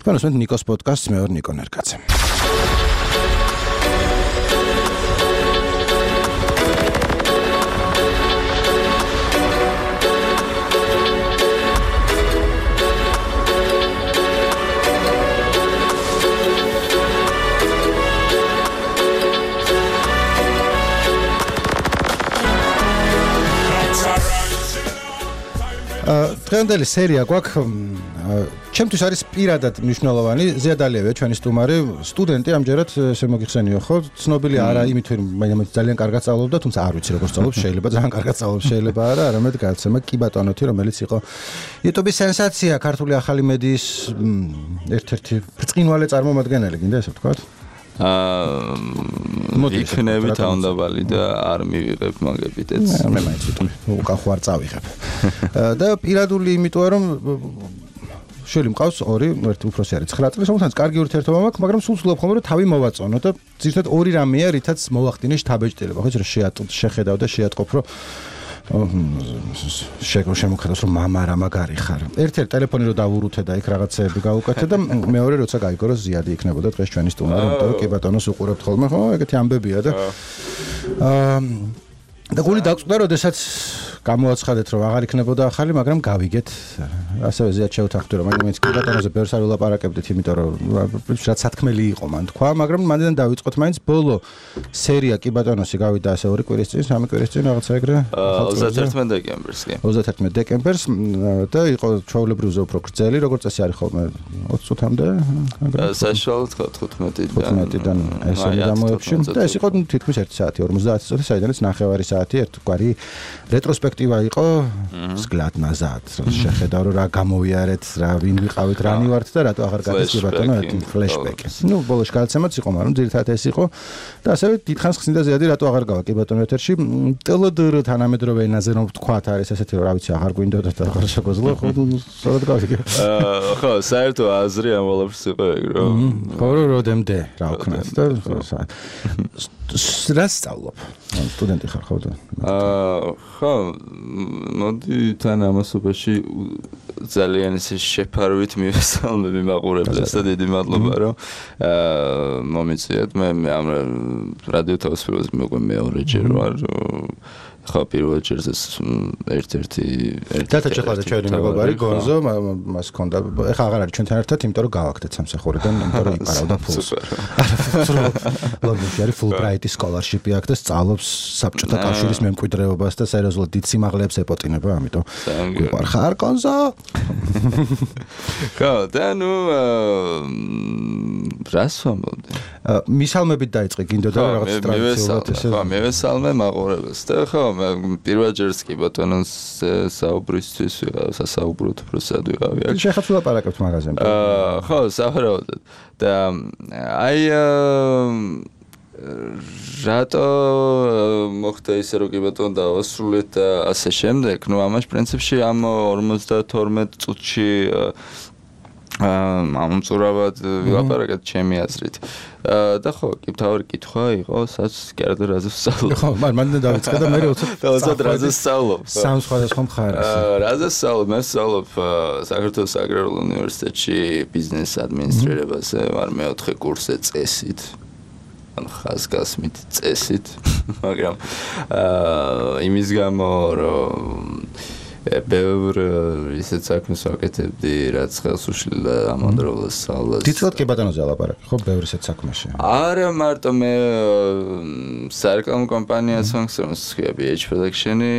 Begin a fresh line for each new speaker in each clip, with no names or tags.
თქვენ უსმენთ ნიკოს პოდკასტს, მე ვარ ნიკო ნერგაძე. დღევანდელი სერია გვაქვს ჩემთვის არის პირადად მნიშვნელოვანი ზიადალიევია ჩვენი სტუმარი სტუდენტი ამჯერად ესე მოგიხსენიო ხო ცნობილი არა იმით რომ ძალიან კარგად სწავლობდა თუმცა არ ვიცი როგორ სწავლობს შეიძლება ძალიან კარგად სწავლობს შეიძლება არა არამედ გაცემა კი ბატონოთი რომელიც იყო YouTube-ის სენსაცია ქართული ახალი მედიის ერთ-ერთი ბრწყინვალე წარმომადგენელი გინდა ესე ვთქვათ
იქნები თავდაბალი და არ მივიღებ მაგებითაც
მე მაინც უკან ხوار წავიღებ და პირადული იმიტომ რომ შელი მყავს ორი ერთი უფროსი არის 9 წლის რომელსაც კარგი ურთიერთობა მაქვს მაგრამ სულ ვცდილობ ხოლმე რომ თავი მოვაწონო და ზუსტად ორი რამეა რითაც მოვახდინე შთაბეჭდილება ხო რომ შეხედავ და შეატყობ რომ შემოხედავს რომ მამა რა მაგარი ხარ ერთ-ერთ ტელეფონი რო დავურუთე და იქ რაღაცეები გავუკეთე და მეორე როცა გაიგო რომ ზიადი იქნებოდა დღეს ჩვენი სტუმარი იმიტომ რომ კი ბატონოს უყურებთ ხოლმე ხო ეგეთი ამბებია და და გული დაგწუდა როდესაც გამოაცხადეთ რომ აღარ იქნებოდა ახალი მაგრამ გავიგეთ ასევე ზიად შევთანხმდი რომ მაინც კი ბატონოზე ბევრს არ ვლაპარაკებდით იმიტომ რომ რაც სათქმელი იყო მან თქვა მაგრამ მანდიდან დავიწყოთ მაინც ბოლო სერია კი ბატონოსი გავიდა ასე 2 კვირის წინ 3 კვირის წინ რაღაცა ეგრე
31 დეკემბერს კი
31 დეკემბერს და იყო ჩვეულებრივზე უფრო გრძელი როგორც წესი არის ხოლმე 20 წუთამდე
საშუალოდ 15-დან
ესე გამოებში და ეს იყო თითქმის 1 საათი 50 წუთი საიდანაც ნახევარი საათი ერთგვარი რეტროსპექტივა იყო მსგლად ნაზად შეხედავ რომ რა გამოვიარეთ რა ვინ ვიყავით რანი ვართ და რატო აღარ გადის ბატონო ერთი ფლეშბექი ნუ ბოლოს გადაცემაც იყო მაგრამ ძირითადად ეს იყო და ასევე დიდხანს ხსნიდა ზიადი რატო აღარ გავა კი ბატონო ეთერში ტელედრ თანამედროვე ენაზე რომ ვთქვათ არის ესეთი რომ რა ვიცი აღარ გვინდოდა და აღარ შეგვეძლო ხო სწორად გავიგე
ხო საერთო აზრი ამ ყველაფერს იყო ეგ რომ
ხო როდემდე რა ვქნათ და რა სწავლობ სტუდენტი ხარ ხო და
ხო მოდი თან ამასობაში ძალიან ისე შეფარვით მივესალმები მაყურებლებს და დიდი მადლობა რომ მომიწიეთ მე ამ რადიო თავისუფლებას მეუყვე მეორეჯერ ვარ ხო პირველ ჯერს ერთ-ერთი
დათაჭეყლადა ჩვენი მეგობარი გონზო მას ჰქონდა ეხლა აღარ არის ჩვენთან ერთად იმიტომ რომ გავაკეთეთ სამსახურიდან იმიტომ რომ იპარავდა ფულს ლონდონში არის ფულბრაიტის სკოლარშიპი აქვს და სწავლობს საბჭოთა კავშირის მემკვიდრეობას და სერიოზულად დიდ სიმაღლეებს ეპოტინება ამიტომ გვიყარ ხარ გონზო
ხო და ნუ რას ვამბობდი
მისალმებით დაიწყე გინდოდა რაღაც ტრადიციულად ესე
ხო მივესალმე მაყურებელს და ხო პირველ ჯერს კი ბატონოს საუბრისთვის ვიყავ სასაუბრო პროცესად ვიყავი აქ
შეხაც ვლაპარაკებთ მაღაზიაზე
ხო სავარაუდოდ და აი რატო მოხდა ისე რომ კი ბატონო დავასრულეთ და ასე შემდეგ ნუ ამაში პრინციპში ამ 52 წუთში ამწურავად ვილაპარაკეთ ჩემი აზრით და ხო კი თავი კითხვა იყო სადაც კერძო რაზე ვსწავლობ
ხო მანდ დავიწყე და მე
როცა რაზე ვსწავლობ
სამ სხვადასხვა მხარეს
რაზე ვსწავლობ მე ვსწავლობ საქართველოს აგრარულ უნივერსიტეტში ბიზნეს ადმინისტრირებაზე ვარ მეოთხე კურსზე წესით ან ხაზგასმით წესით მაგრამ იმის გამო რომ ბევრ ისეთ საქმეს ვაკეთებდი რაც ხელს უშლიდა ამავდროულად სწავლას
თითქოს კი ბატონოზე ლაპარაკი ხო ბევრ ისეთ საქმეში
არა მარტო მე სარეკლამო კომპანიას ფუნქციონს ვქია BH Production-ი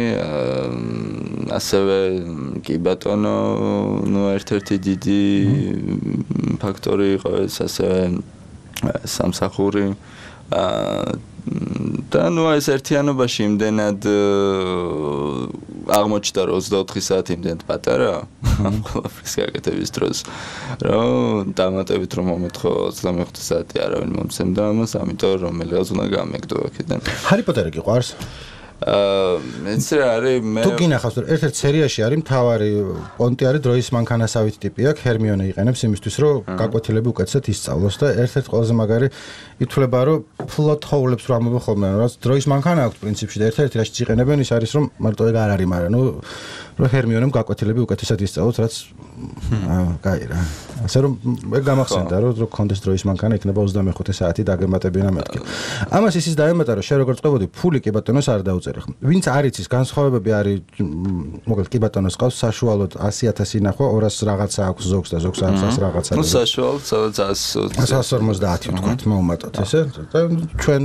ასევე კი ბატონო ნუ ერთ-ერთი დიდი ფაქტორი იყო ეს ასევე სამსახური და ნუ ეს ერთიანობაში იმდენად აღმოჩნდა რომ 24 საათი იმდენად პატარა ამ ყველაფრის გაკეთების დროს რომ დამატებით რომ მომეთხო 25 საათი არავინ მომცემდა ამას ამიტომ რომელიღაც უნდა გამეგდო აქედან
ჰარი პოტერი გიყვარს
მეც რა არის მე
თუ გინახავს რომ ერთ-ერთ სერიაში არის მთავარი პონტი არის დროის მანქანასავით ტიპი აქვს ჰერმიონე იყენებს იმისთვის რომ გაკვეთილები უკეთესად ისწავლოს და ერთ-ერთ ყველაზე მაგარი ითვლება რომ ფლოტ ჰოულებს რომ ამბობ ხოლმე რომ დროის მანქანა აქვს პრინციპში და ერთ-ერთი რაშიც იყენებენ ის არის რომ მარტო ეგ არ არის მაგრამ ნუ რომ ჰერმიონემ გაკვეთილები უკეთესად ისწავლოთ, რაც კაი რა. ასე რომ ეგ გამახსენდა რომ კონდეს დროის მანქანა იქნება 25 საათი დაგემატებინა მეთქი. ამას ისიც დაემატა რომ შე როგორ წყვებოდი ფული კი ბატონოს არ დაუწერი ხო. ვინც არ იცის განსხვავებები არის მოკლედ კი ბატონოს ყავს საშუალოდ 100,000 ნახვა 200 რაღაცა აქვს ზოგს და ზოგს 100 რაღაცა.
ნუ საშუალოდ
150 თქვათ მოუმატოთ ესე და ჩვენ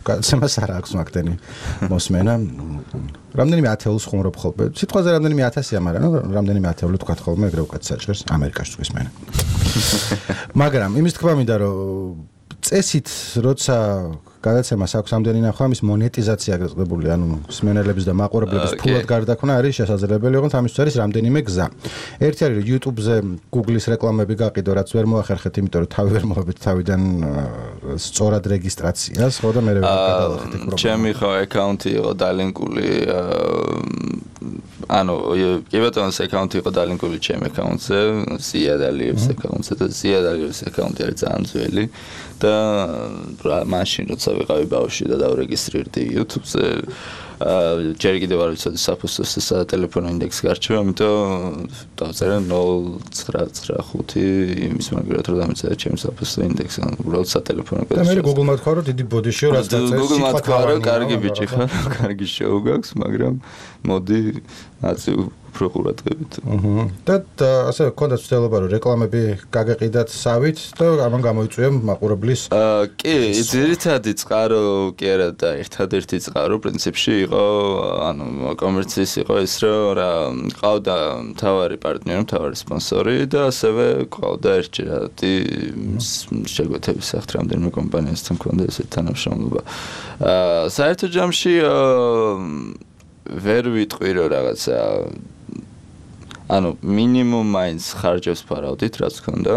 გაცემას არ აქვს მაგდენი მოსმენა. რამდენიმე ათეულს ხუმრობ ხოლმე. სიტყვაზე რამდენიმე 1000-ია, მაგრამ რამდენიმე ათეული თქვათ ხოლმე ეგრე უკეთ საჭირს ამერიკაში თქვის მენა. მაგრამ იმის თქვა მინდა რომ წესით როცა გადაცემას აქვს ამდენი ნახვა ამის მონეტიზაცია გწყებული, ანუ მსმენელების და მაყურებლების ფულად გარდაქმნა არის შესაძლებელი, ოღონდ ამისთვის არის რამდენიმე გზა. ერთი არის რომ YouTube-ზე Google-ის რეკლამები გაყიდო, რაც ვერ მოახერხეთ, იმიტომ რომ თავი ვერ მოხდეთ თავიდან სწორად რეგისტრაციას, ხო და მე ვერ გადავახეთ ეგ პრობლემა.
ჩემი ხო აკაუნტი იყო დალინკული ანუ კი ბატონოს აკაუნტი იყო დალინკული ჩემ აკაუნტზე, ზიადალიევს აკაუნტზე და ზიადალიევს აკაუნტი არის ძალიან ძველი და მაშინ როცა ვიყავი ბავშვი და დავრეგისტრირდი YouTube-ზე ჯერ კიდევ არ ვიცოდი საფოსტოს და ტელეფონო ინდექსი გარჩევა, ამიტომ დავწერე 0.95 იმის მაგალითად რომ დამეწერე ჩემი საფოსტო ინდექსი, ანუ უბრალოდ სატელეფონო
და მე Google-მა თქვა რომ დიდი ბოდიშიო რაც დაწერე.
Google-მა თქვა რომ კარგი ბიჭი ხარ, კარგი შოუ გაქვს, მაგრამ მოდი აცი უფრო ყურადღებით.
და ასე გქონდა ცდილობა რომ რეკლამები გაგეყიდათ სავით და ამან გამოიწვია მაყურებლის
კი, ძირითადი წყარო კი არა და ერთადერთი წყარო პრინციპში იყო, ანუ კომერციის იყო ის რომ რა ყავდა მთავარი პარტნიორი, მთავარი სპონსორი და ასევე ყავდა ერთჯერადი შეგვეთების სახით რამდენიმე კომპანიასთან მქონდა ესეთი თანამშრომლობა. საერთო ჯამში ვერ ვიტყვი რომ რაღაცა ანუ მინიმუმ მაინც ხარჯებს ფარავდით რაც ქონდა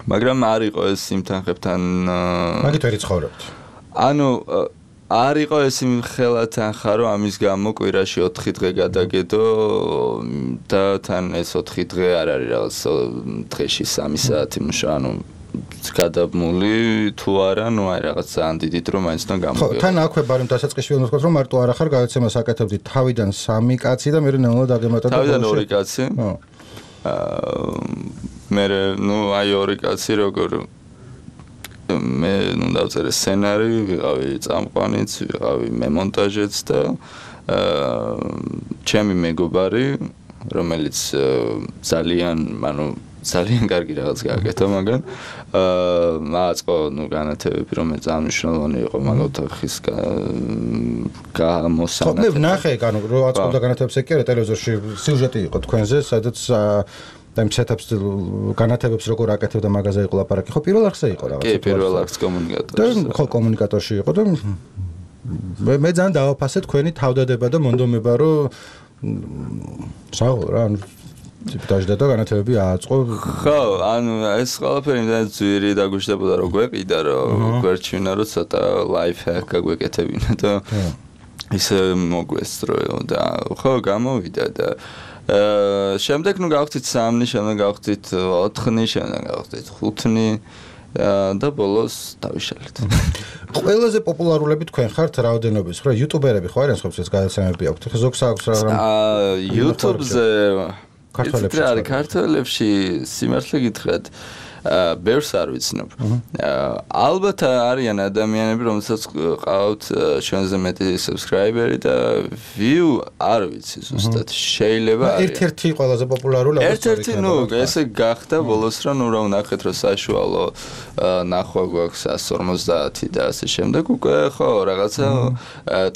მაგრამ არ იყო ეს იმ თანხებთან
მაგით ვერ იცხოვრებთ
ანუ არ იყო ეს იმ ხელა თანხა რომ ამის გამო კვირაში 4 დღე გადაგედო და თან ეს 4 დღე არ არის რაღაც დღეში 3 საათი მუშა ანუ გადაბმული თუ არა, ნუ აი რაღაც ძალიან დიდი დრო მაინც და გამოგეო.
ხო, თან აქვე ბარემ დასაწყისში ვერ მოსკოთ რომ მარტო არ ახარ გადაცემას აკეთებდი თავიდან 3 კაცი და მე ნელა დაგემატა და
თავიდან 2 კაცი. მე ნუ აი 2 კაცი როგორ მე ნუ დავწერე სცენარი, ვიყავი წამყვანიც, ვიყავი მემონტაჟეც და ჩემი მეგობარი, რომელიც ძალიან, ანუ ძალიან კარგი რაღაც გააკეთა, მაგრამ მაწყო ნუ განათებები რომელიც ძალიან მნიშვნელოვანი იყო მაგალითად ხის გამოსანა.
მე ვნახე, ანუ რო აწყობდა განათებებს ეგ კი არა ტელევიზორში სიუჟეტი იყო თქვენზე, სადაც და იმ სეტაპს განათებებს როგორ აკეთებდა მაგაზე იყო ლაპარაკი. ხო, პირველ არხზე იყო რაღაც.
კი, პირველ არხს კომუნიკატორში.
და ხო, კომუნიკატორში იყო და მე ძალიან დავაფასე თქვენი თავდადება და მონდომება, რომ საერთოდ რა ტიპდაჟდა და განათებები ააწყო.
ხო, ანუ ეს ყველაფერი ძალიან ძვირი დაგუშდებოდა რომ გვეყიდა რომ გვერჩვენა რომ ცოტა ლაიფ ჰაკ გაგვეკეთებინა და ისე მოგვესწრო და ხო გამოვიდა და შემდეგ ნუ გავხდით 3-ნი, შემდეგ გავხდით 4-ნი, შემდეგ გავხდით 5-ნი და ბოლოს დავიშალეთ.
ყველაზე პოპულარულები თქვენ ხართ რაოდენობის, ხო, იუტუბერები ხო არიან სხვაებს გადაცემები აქვთ. ხო, ზოგს აქვს რა
YouTube-ზე ქართველებში სიმართლე გითხრათ ბევრს არ ვიცნობ. ალბათ არიან ადამიანები, რომელსაც ყავთ ჩვენზე მეტი subscriber-ი და view არ ვიცი ზუსტად. შეიძლება არის.
ერთ-ერთი ყველაზე პოპულარული
ერთ-ერთი, ნუ, ესე გახდა ბოლოს რომ ნუ რა ვნახეთ რომ საშუალო ნახვა გვაქვს 150 და ასე შემდეგ უკვე ხო რაღაცა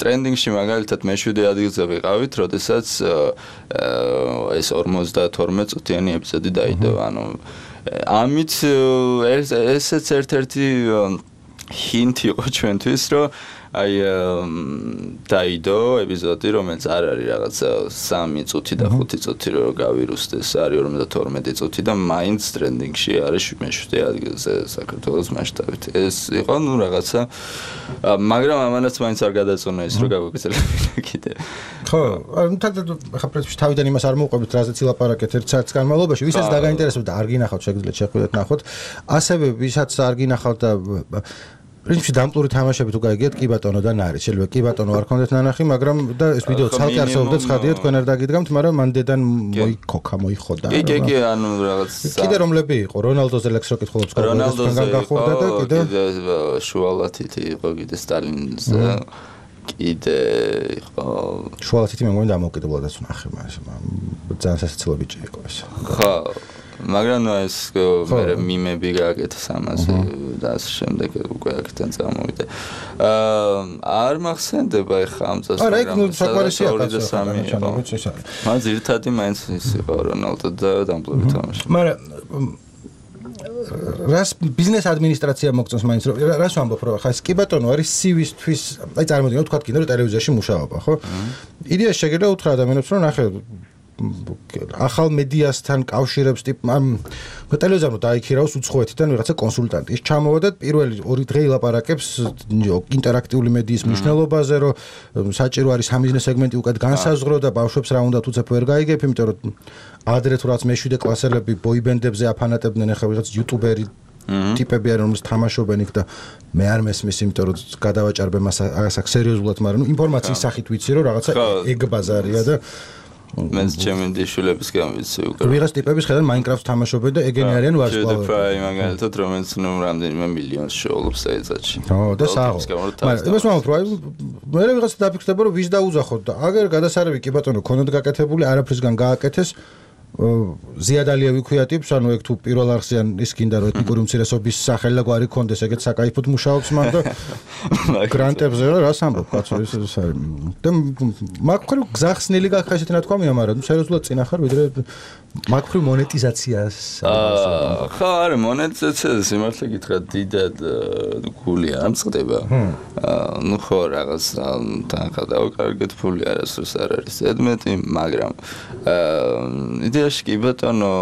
ტრენდინგში მაგალითად მე-7 ადგილზე ვიყავით, როდესაც ეს 52 წუთიანი ეპიზოდი დაიდო, ანუ ამით ესეც ერთ-ერთი ჰინტი იყო ჩვენთვის, რომ აი დაიდო ეპიზოდი, რომელიც არ არის რაღაცა 3 წუთი და 5 წუთი რომ გავირუსდეს, არის 52 წუთი და მაინც ტრენდინგში არის მე-7 ადგილზე საქართველოს მასშტაბით. ეს იყო ნუ რაღაცა, მაგრამ ამანაც მაინც არ გადაწონა ის, რომ გავაგრძელებინა კიდე.
ხო, ანუ ხა პრინციპში თავიდან იმას არ მოვყვებით, რაზეც ილაპარაკეთ ერთ საათის განმავლობაში, ვისაც დაგაინტერესებდა, არ გინახავთ, შეგიძლიათ შეხვიდეთ ნახოთ. ასევე ვისაც არ გინახავთ და პრინციპში დამპლური თამაშები თუ გაიგეთ კი ბატონოდან არის. შეიძლება კი ბატონო არ ქონდეთ ნანახი, მაგრამ და ეს ვიდეო ცალკე არსებობდა ცხადია თქვენ არ დაგიდგამთ, მაგრამ მან დედან მოიხოდა.
კი, ანუ რაღაც
კიდე რომლები იყო? რონალდოზე ლექს რო კითხულობს
რონალდოზე
გახურდა და კიდე
შუალათით იყო კიდე სტალინზე. კიდე იყო
შუალათით მე მგონი დამოუკიდებლადაც ვნახე მას. ძალიან სასაცილო ბიჭი იყო ეს.
ხო მაგრამ ეს მე მიმები გააკეთეს ამაზე და ასე შემდეგ უკვე აქედან წამოვიდე. არ მახსენდება ეხა ამ წელს.
არა, იქ საკმარისია
კაცო. მაგრამ ძირითადი მაინც ის იყო რონალდო და დამპლური თამაში.
მაგრამ რას ბიზნეს ადმინისტრაცია მოგწონს მაინც რას ვამბობ რომ ხა ეს კი ბატონო არის CV-თვის აი წარმოვიდგინოთ თქვა კიდე რომ ტელევიზიაში მუშაობა ხო იდეა შეგიძლია უთხრა ადამიანებს რომ ნახე ახალ მედიასთან კავშირებს ტიპ ტელევიზორს დაიქირავს უცხოეთიდან ვიღაცა კონსულტანტი ის ჩამოვა და პირველი 2 დღე ილაპარაკებს ინტერაქტიული მედიის მნიშვნელობაზე რომ საჭირო არის სამიზნეს სეგმენტი უკეთ განსაზღვრო და ბავშვებს რა უნდა თუცებ ვერ გაიგებ იმიტომ რომ ადრე თუ რაც მეშვიდე კლასელები ბოიბენდებზე აფანატებდნენ ახლა ვიღაც იუტუბერი ტიპები არის რომელს თამაშობენ იქ და მე არ მესმის იმიტომ რომ გადავაჭარბე მას ასაკ სერიოზულად მაგრამ ინფორმაციის სახით ვიცი რომ რაღაცა ეგ ბაზარია და
მენს ჩემი დიშულებისგან ვიცი უკვე
ვიღაც ტიპების ხედავ მაინკრაფტს თამაშობენ და ეგენი არიან ვარსკვლავები
პრაი მაგალითად რომელიც ნუ რამდენიმე მილიონს შეოლობს საერთაშორისო
ო და საო მაგრამ იმას ვამბობ რომ მე ვიღაც დაფიქრდება რომ ვის დაუძახოთ და აგერ გადასარევი კი ბატონო ქონდეთ გაკეთებული არაფრისგან გააკეთეს ზიადალიევი ქვია ტიპს ანუ ეგ თუ პირველ არხზიან ის გინდა რომ ეთნიკური უმცირესობის სახელი და გვარი ქონდეს ეგეთ საკაიფოდ მუშაობს მან და გრანტებზე რას ამბობ კაცო ეს არის და მაგხრივ გზახსნილი გახა ესეთი ნათქვამია მაგრამ სერიოზულად წინ ახარ ვიდრე მაგხრივ მონეტიზაციას
ხა არა მონეტიზაცია სიმართლე გითხრა დიდად გული არ მწყდება ნუ ხო რაღაც თანხა დავკარგეთ ფული არასდროს არ არის ზედმეტი მაგრამ იდეაში კი ბატონო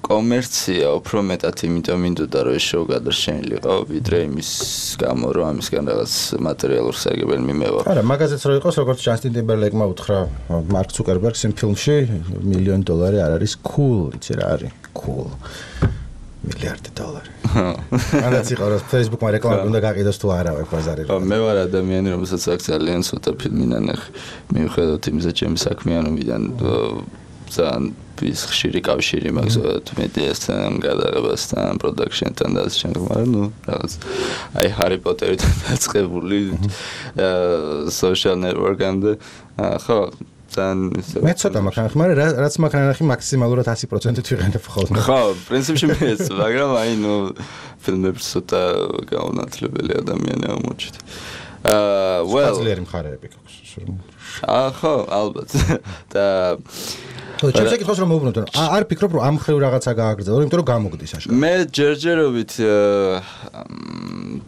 კომერცია უფრო მეტად იმიტომ მინდოდა რომ ეს შოუ გადარჩენილიყო ვიდრე იმის გამო რომ ამისგან რაღაც მატერიალურ სარგებელი მიმევა
არა მაგაზეც რო იყოს როგორც ჯასტინ ტიმბერლეიკმა უთხრა მარკ ცუკერბერგს იმ ფილმში $1,000,000 არ არის cool იცი რა არის cool $1,000,000 ანაც იყო რომ Facebook-მა რეკლამა უნდა გაყიდოს თუ არა ეგ ბაზარი
ხო მე ვარ ადამიანი რომელსაც აქ ძალიან ცოტა ფილმი ნანახი მიუხედავად იმისა ჩემი საქმიანობიდან ძალიან ის ხშირი კავშირი მაქვს მედიასთან, გადაღებასთან, პროდაქშენთან და ასე შემდეგ, მაგრამ ნუ რაღაც აი ჰარი პოტერიდან დაწყებული social network-ამდე ხო ძალიან
მე ცოტა მაგ მაგრამ რაც მაგ ნახი მაქსიმალურად 100%-ით ვიყენებ ხოლმე.
ხო, პრინციპში მეც, მაგრამ აი ნუ ფილმებს ცოტა გაუნათლებელი ადამიანი აღმოჩნდა.
სპეციალური მხარეები გვაქვს.
ხო, ალბათ. და
ჩემს ეკითხოს რომ მოუბრუნდეთ არ ფიქრობ რომ ამ ხრივ რაღაცა გააგრძელო იმიტომ რომ გამოგდის აშკარად
მე ჯერჯერობით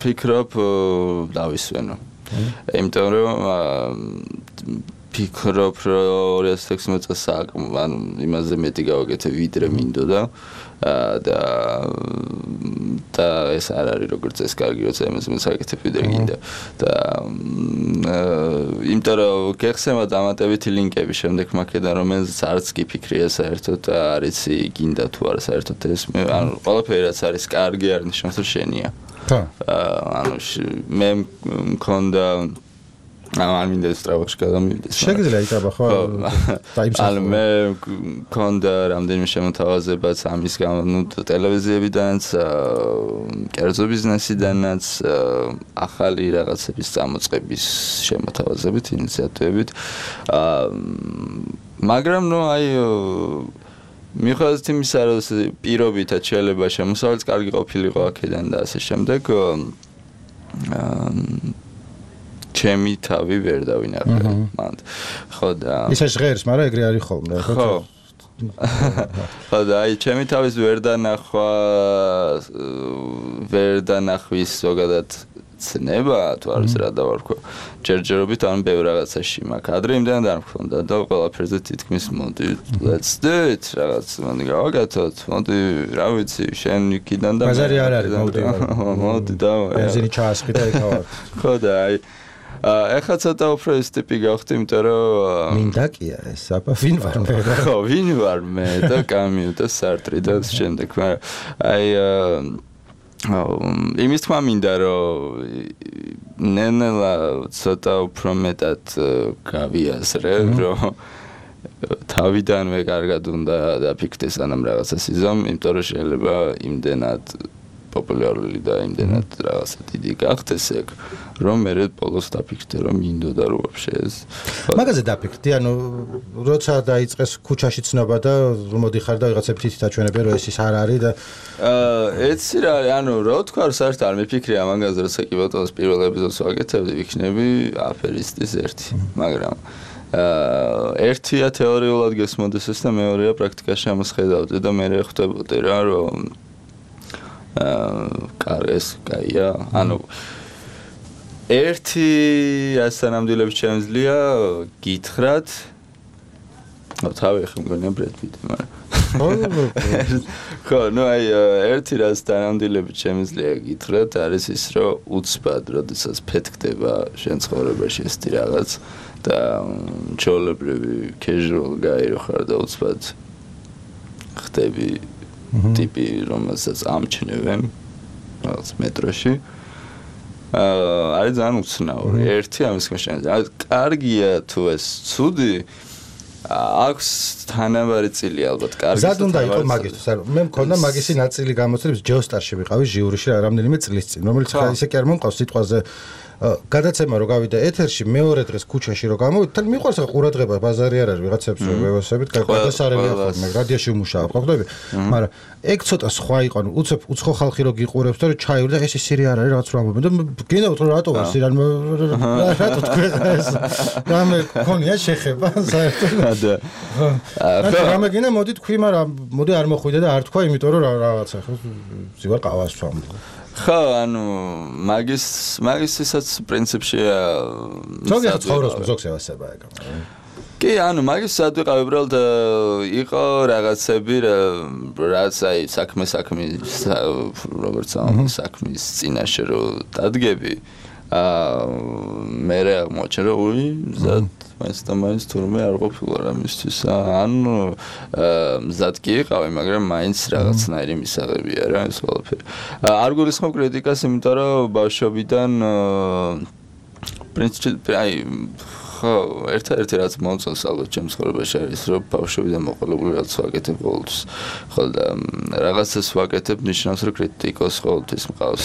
ფიქრობ დავისვენო იმიტომ რომ ფიქრობ რომ 2016 წელს ანუ იმაზე მეტი გავაკეთე ვიდრე მინდოდა და ეს არ არის როგორც ეს კარგი როცა იმაზე საკეთებ ვიდრე გინდა და იმიტომ რომ გეხსემა დამატებითი ლინკები შემდეგ მაქედან რომელზეც არც კი ფიქრია საერთოდ არიცი გინდა თუ არა საერთოდ ეს ანუ ყველაფერი რაც არის კარგი არ ნიშნავს რომ შენია ანუ მე მქონდა არ მინდა სწრაფად გადამივიდეს.
შეგიძლია იტაბა ხო?
ანუ მე მქონდა რამდენიმე შემოთავაზებაც ამის გამო, ნუ ტელევიზიებიდანაც, კერძო ბიზნესიდანაც, ახალი რაღაცების წამოწყების შემოთავაზებით, ინიციატივებით. მაგრამ ნუ აი მიუხედავად იმისა, რომ პირობითად შეიძლება შემოსავალიც კარგი ყოფილიყო აქედან და ასე შემდეგ ჩემი თავი ვერ დავინახე მანდ. ხო და
ისე ჟღერს, მაგრამ ეგრე არის ხოლმე,
ხო? ხო და აი ჩემი თავის ვერ დანახვის ზოგადად ცნება თუ არის რა დავარქვა. ჯერჯერობით ან ბევრ რაღაცაში მაქვს. ადრე იმდან არ მქონდა და ყველაფერზე თითქმის მოდი let's do it რაღაც მოდი გავაკეთოთ. მოდი რა ვიცი შენ იქიდან და
ბაზარი არ არის
მოდი და
ბენზინი ჩაასხი და ეკავარ.
ხო და აი ეხლა ცოტა უფრო ეს ტიპი გავხდი, იმიტომ რომ
მინდა კია ეს აბა ვინ ვარ მე?
ხო, ვინ ვარ მე და კამიუ და სარტრი და შემდეგ, მაგრამ აი იმის თქმა მინდა რომ ნენელა ცოტა უფრო მეტად გავიაზრე რომ თავიდანვე კარგად უნდა დაფიქრდეს ანამ რაღაცას იზამ იმიტომ რომ შეიძლება იმდენად პოპულარული და იმდენად რაღაცა დიდი გახდეს ეგ რომ მე ბოლოს დაფიქრდე რომ მინდოდა რომ ვაფშე ეს
მაგაზე დაფიქრდი ანუ როცა დაიწყეს ქუჩაში ცნობა და რომ მოდიხარ და ვიღაცა ფთითი დაჩვენებია რომ ეს ის არ არის და
ეცი რა ანუ რა თქვა საერთოდ არ მიფიქრე ამაგაზე როცა კი ბატონს პირველ ეპიზოდს ვაკეთებდი ვიქნები აფერისტის ერთი მაგრამ ერთია თეორიულად გესმოდეს ეს და მეორეა პრაქტიკაში ამას ხედავდი და მე ხვდებოდი რა რომ კარეს კაია ანუ ერთი ასანამდვილებს შემიძლია გითხრათ თავი ხომ გონია ბრედ პიტი მაგრამ ხო ნუ აი ერთი ასანამდვილებს შემიძლია გითხრათ არის ის რომ უცბად როდესაც ფეთქდება შენ ცხოვრებაში ეს რაღაც და ჩოლებრივი casual guy რო ხარ და უცბად ხდები ტიპი რომელსაც ამჩნევენ რაღაც მეტროში არის ძალიან უცნაური ერთი ამის შემიძლია კარგია თუ ეს ცუდი აქვს თანაბარი წილი ალბათ კარგი
ზად უნდა იყო მაგისთვის არა მე მქონდა მაგისი ნაწილი გამოცდილების ჯეოსტარში ვიყავი ჟიურიში რამდენიმე წლის წინ რომელიც ხა ისე კი არ მომყავს სიტყვაზე გადაცემა რო გავიდა ეთერში მეორე დღეს ქუჩაში რო გამოვიდა მიყვარს ყურადღება ბაზარი არ არის ვიღაცებს ვევასებით გადასარევია ხოლმე რადიოში ვმუშაობ ხო ხდები მაგრამ ეგ ცოტა სხვა იყო ანუ უცხო ხალხი რო გიყურებს და რომ ჩაივრდა ეს ისირი არ არის რაღაც რა მომენტ და გინდათ რომ რატო ვარ სირან რატო თქვენ ეს რამე ქონია შეხება საერთოდ და რამე გინდა მოდი თქვი მაგრამ მოდი არ მოხვიდე და არ თქვა იმიტომ რომ რაღაცა ხო ზივარ ყავას ვამ
ხო ანუ მაგისისაც პრინციპში
ზოგადად ცხოვრობს ზოგს ევასება ეგ
კი ანუ მაგის სადვიყავ უბრალოდ იყო რაღაცები რაც აი საქმის როგორც საქმის წინაშე რო დადგები მე აღმოჩნდა რომ უი მაინც თურმე არ ყოფილა რამისთვის ანუ მზად კი იყავი მაგრამ მაინც რაღაცნაირი მისაღებია რა ეს ყველაფერი არ გულისხმობ კრიტიკას იმიტომ რომ ბავშვობიდან პრინციპი აი ხო ერთ-ერთი რაც მომწონს ალბათ ჩემს ცხოვრებაში არის რომ ბავშვობიდან მოყოლებული რაც ვაკეთებ ყოველთვის ხო და რაღაცას ვაკეთებ ნიშნავს რომ კრიტიკოს ყოველთვის მყავს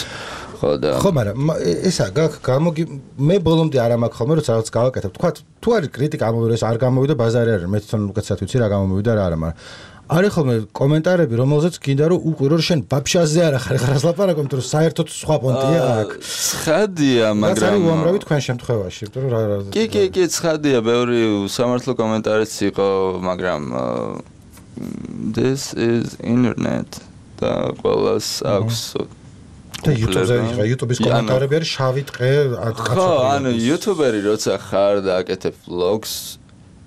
ხო
მაგრამ ესა გამოგი მე ბოლომდე არ ამაქვს ხოლმე როცა რაღაც გავაკეთებ თქვა თუ არის კრიტიკა ამოვიდა ეს არ გამოვიდა ბაზარი არ არის მე თვითონ უკეთესად ვიცი რა გამომივიდა რა არა მაგრამ არის ხოლმე კომენტარები რომელზეც გინდა რომ უყვირო რომ შენ ბაბშაზე არ ახარ ხარას ლაპარაკობ იმიტომ რომ საერთოდ სხვა პონტია აქ
ცხადია მაგრამ
რაც უამრავი თქვენ შემთხვევაში იმიტომ რომ
კი ცხადია ბევრი სამართლო კომენტარიც იყო მაგრამ this is internet და ყველას აქვს
და YouTube-ის კომენტარები არის შავი ტყე
ხო ანუ YouTuber-ი როცა ხარ და აკეთებ vlogs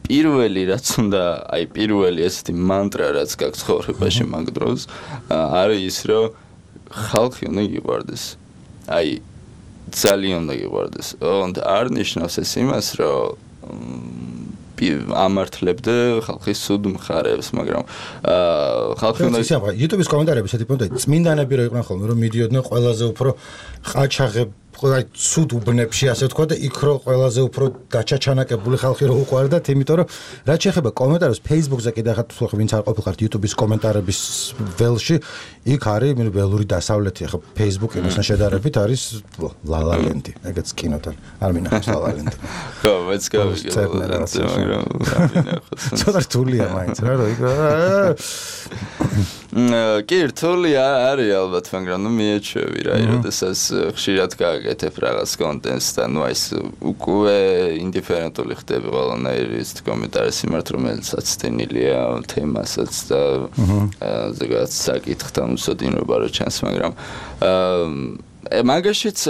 პირველი რაც უნდა აი პირველი ესეთი მანტრა რაც გაქვს ცხოვრებაში მაგ დროს არის ის რომ ხალხი უნდა გიყვარდეს აი ძალიან უნდა გიყვარდეს და არ ნიშნავს ეს იმას რომ ამართლებდე ხალხის სუდ მხარებს მაგრამ ხალხი უნდა
YouTube-ის კომენტარები ესეთი პონტია წმინდანები რო იყვნენ ხოლმე რომ მიდიოდნენ ყველაზე უფრო ყაჩაღებ აი სუდ უბნებში ასე ვთქვა და იქ რო ყველაზე უფრო გაჩაჩანაკებული ხალხი რო უყვარდათ იმიტომ რომ რაც შეეხება კომენტარებს Facebook-ზე კიდე ხარ თუ ვინც არ ყოფილიყართ YouTube-ის კომენტარების ველში იქ არის მე ველური დასავლეთი ახლა Facebook-ი მასთან შედარებით არის La La Land ეგეც კინოდან არ მინახავს La La Land
ხო მეც მაგრამ
ცოტა რთულია მაინც რა რომ იქ
კი რთული არის ალბათ მაგრამ ნუ მიეჩვევი რა როდესაც ხშირად გაგაკეთებ რაღაც კონტენტს და ნუ ეს უკვე ინდიფერენტული ხდები ყველანაირი ის კომენტარი სიმართ რომელიც აცდენილია თემასაც და ზოგადად საკითხთან უსოდინობა რო ჩანს მაგრამ მაგაშიც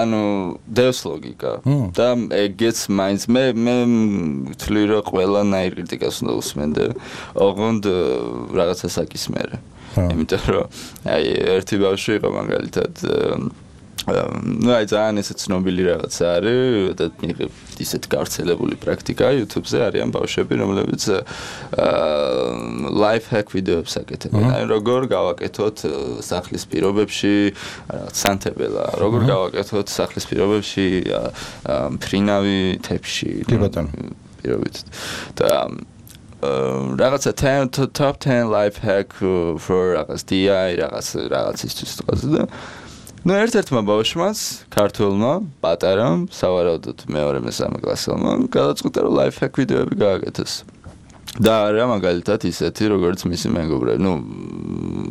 ანუ დევს ლოგიკა და ეგეც მაინც მე ვთვლი რომ ყველანაირი კრიტიკას უნდა უსმენდე ოღონდ რაღაცა საკისმერე იმიტომ რომ აი ერთი ბავშვი იყო მაგალითად ну აი ძალიან ესე ცნობილი რაღაცა არის და ისეთ გავრცელებული პრაქტიკა YouTube-ზე არიან ბავშვები რომლებიც life hack ვიდეოებს აკეთებენ აი როგორ გავაკეთოთ სახლის პირობებში სანთებელა როგორ გავაკეთოთ სახლის პირობებში ფრინავი თებში
კი ბატონო
პირობით და რაღაცა top 10 life hack for რაღაც DI რაღაცისთვის თქოს და ну ერთ-ერთმა ბავშვმაც ქართულმა პატარამ სავარაუდოდ მეორე მესამე კლასელმა გადაწყვიტა რომ life hack ვიდეოები გააკეთოს და არა მაგალითად ისეთი როგორც მისი მეგობრები ну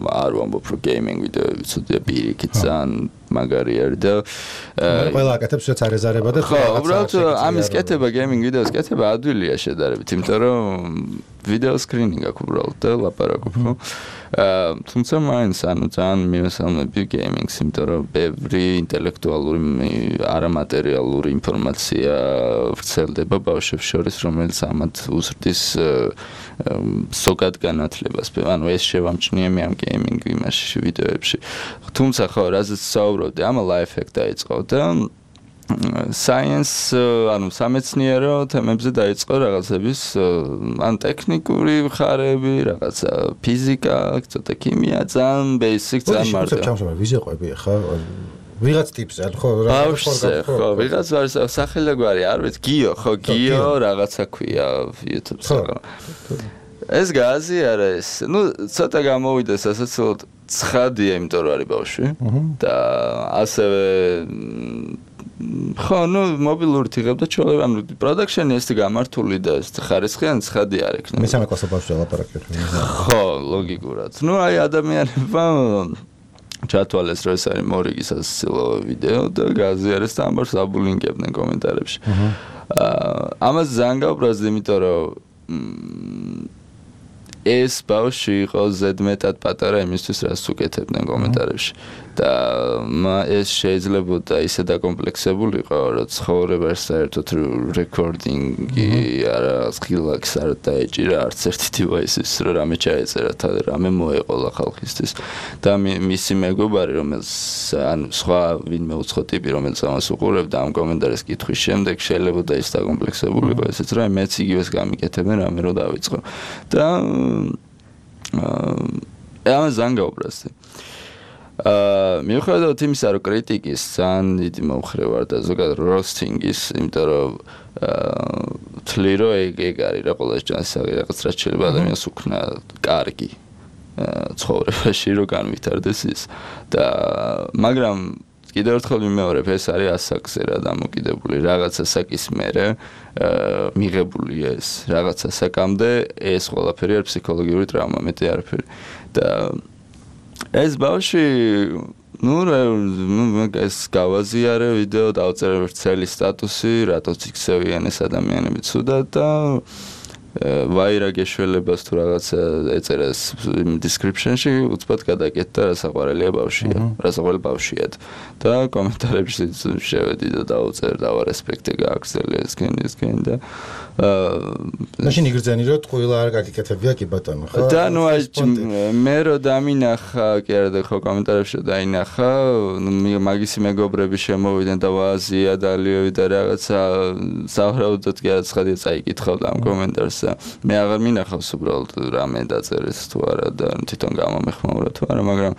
არ ვამბობ რომ gaming ვიდეოები ცუდია პირიქით ძალიან მაგარი არის და
ყველა აკეთებს რაც არ ეზარება და
ხო უბრალოდ ამის კეთება gaming ვიდეოს კეთება ადვილია შედარებით იმიტომ რომ ვიდეო სკრინინგი აქვს უბრალოდ და ლაპარაკობ ხო თუმცა მაინც ანუ ძალიან მივესალმები gaming-ს იმიტომ რომ ბევრი ინტელექტუალური არამატერიალური ინფორმაცია ვრცელდება ბავშვებს შორის რომელიც ამათ უზრდის ზოგად განათლებას ანუ ეს შევამჩნიე მე ამ gaming იმაში ვიდეოებში თუმცა ხო რაზეც საუბრობდი ამ life hack დაიწყო და science ანუ სამეცნიერო თემებზე დაიწყო რაღაცების ან ტექნიკური მხარეები, რაღაცა ფიზიკა, ცოტა ქიმია, ძალიან basic, ძალიან მარტო.
ჩამშობა ვიზეყვები ხა ვიღაც ტიპს ხო
ხო ვიღაც არის სახელგვარი არ ვიცი გიო ხო გიო რაღაცა ქვია YouTube-ზე ეს გაზი არა ეს ну ცოტა გამოვიდა სასაცილოდ ცხადია იმიტომ რომ არის ბავშვი და ასევე ხო ну მობილური თიღებდა ჩოლები ანუ პროდაქშენი ეს გამართული და ეს ხარისხიანი ცხადი არ ექნება
მესამე კლასის ბავშვი ლაპარაკობ
ხო ლოგიკურად ну აი ადამიანებმა ჩათვალეს რომ ეს არის მორიგი სასაცილო ვიდეო და გაზიარეს და ამბავს აბულინგებდნენ კომენტარებში ამას ძალიან გავბრაზდი იმიტომ რომ ეს ბავშვი იყო ზედმეტად პატარა იმისთვის რაც უკეთებდნენ კომენტარებში და ეს შეიძლებოდა ისე დაკომპლექსებულიყო რომ ცხოვრებას საერთოდ რეკორდინგი არა სკილაკს არ დაეჭირა არც ერთი დივაისის რომ რამე ჩაეწერა რამე მოეყოლა ხალხისთვის და მისი მეგობარი რომელიც ანუ სხვა ვინმე უცხო ტიპი რომელიც ამას უყურებდა ამ კომენტარის კითხვის შემდეგ შეიძლებოდა ის დაკომპლექსებულიყო ესეც რომ მეც იგივეს გამიკეთებენ რამე რომ დავიწყო და ამას ძალიან გავუბრაზდი მიუხედავად იმისა რომ კრიტიკის ძალიან დიდი მომხრე ვარ და ზოგადად როსტინგის იმიტომ რომ თვლი რომ ეგ არის რა ყველა ჯანსაღი რაღაც რაც შეიძლება ადამიანს უქნა კარგი ცხოვრებაში რომ განვითარდეს ის და მაგრამ კიდევ ერთხელ ვიმეორებ ეს არის ასაკზე რა დამოკიდებული რაღაცა საკის მერე მიღებულია ეს რაღაცა საკამდე ეს ყველაფერი არის ფსიქოლოგიური ტრავმა მეტი არაფერი და ეს ბავშვი ну ეს გავაზიარე ვიდეო დავწერე ვრცელი სტატუსი რატოც იქცევიან ეს ადამიანები ცუდად და ვაირაგეშველებას თუ რაღაცა ეწერეს description-ში უცბად გადაკეთდა რა საყვარელია ბავშვია რა საყვარელი ბავშვია და კომენტარებში შევედი და დავწერე და რესპექტი გააგრძელე ესკენ და
მაშინ იგრძენი რომ ტყუილა არ გაკეთებია კი ბატონო ხო
და ნუ აი მე რო დამინახა კი არა და ხო კომენტარებში დაინახა მაგისი მეგობრები შემოვიდნენ და ვაზია დალიევი და რაღაცა საერთოდ კი აცხადია წაიკითხავდა ამ კომენტარს მე აღარ მინახავს უბრალოდ რამე დაწერეს თუ არა და თვითონ გამომეხმაურა თუ არა მაგრამ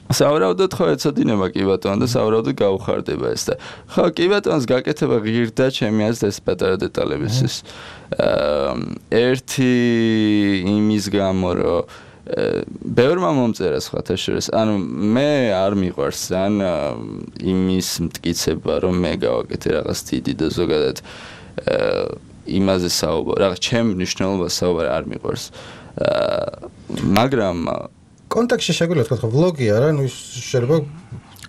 საერთოდ ხო ეცოდინება კი ბატონო და საერთოდ გაუხარდება ეს და ხო კი ბატონს გაკეთება ღირდა ჩემი აზრით ეს პატარა დეტალების ის ერთი იმის გამო რომ ბევრმა მომწერა სხვათა შორის ანუ მე არ მიყვარს ან იმის მტკიცება რომ მე გავაკეთე რაღაც დიდი და ზოგადად იმაზე საუბარი რაღაც ჩემ მნიშვნელობას საუბარი არ მიყვარს მაგრამ
კონტექსტში შეგვიძლია თქვა ვლოგია რა ნუ შეიძლება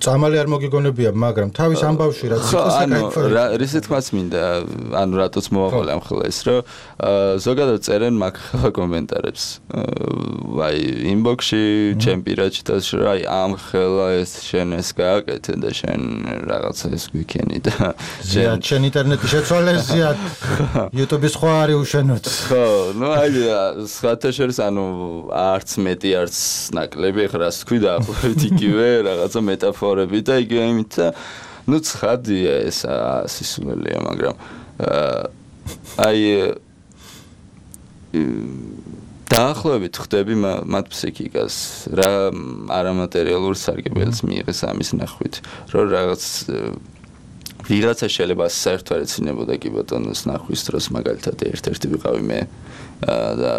წამალი არ მოგიგონებია მაგრამ თავის ამბავში რაც იყო საკაიფო
რისი თქმაც მინდა ანუ რატოც მოვაყოლე ამ ხელა ის რომ ზოგადად წერენ მაგ კომენტარებს აი ინბოქსში ჩემ პირადში და აი ამ ხელა ეს შენ ეს გააკეთე და შენ რაღაცა ეს გვიქენი და
შენ ინტერნეტი შეცვალესია YouTube-ის სხვა არის უშენოთ
ხო ნუ აი სხვათა შორის ანუ არც მეტი არც ნაკლები ხა რას თქვი და ახლავით იგივე რაღაცა მეტაფორა ცხოვრები და იგივე იმით და ნუ ცხადია ეს სისულელია, მაგრამ აი დაახლოებით ხვდები მათ ფსიქიკას რა არამატერიალურ სარგებელს მიიღეს ამის ნახვით, რომ რაღაც ვიღაცა შეიძლება საერთოდ არ ეცინებოდა კი ბატონოს ნახვის დროს მაგალითად ერთ-ერთი ვიყავი მე და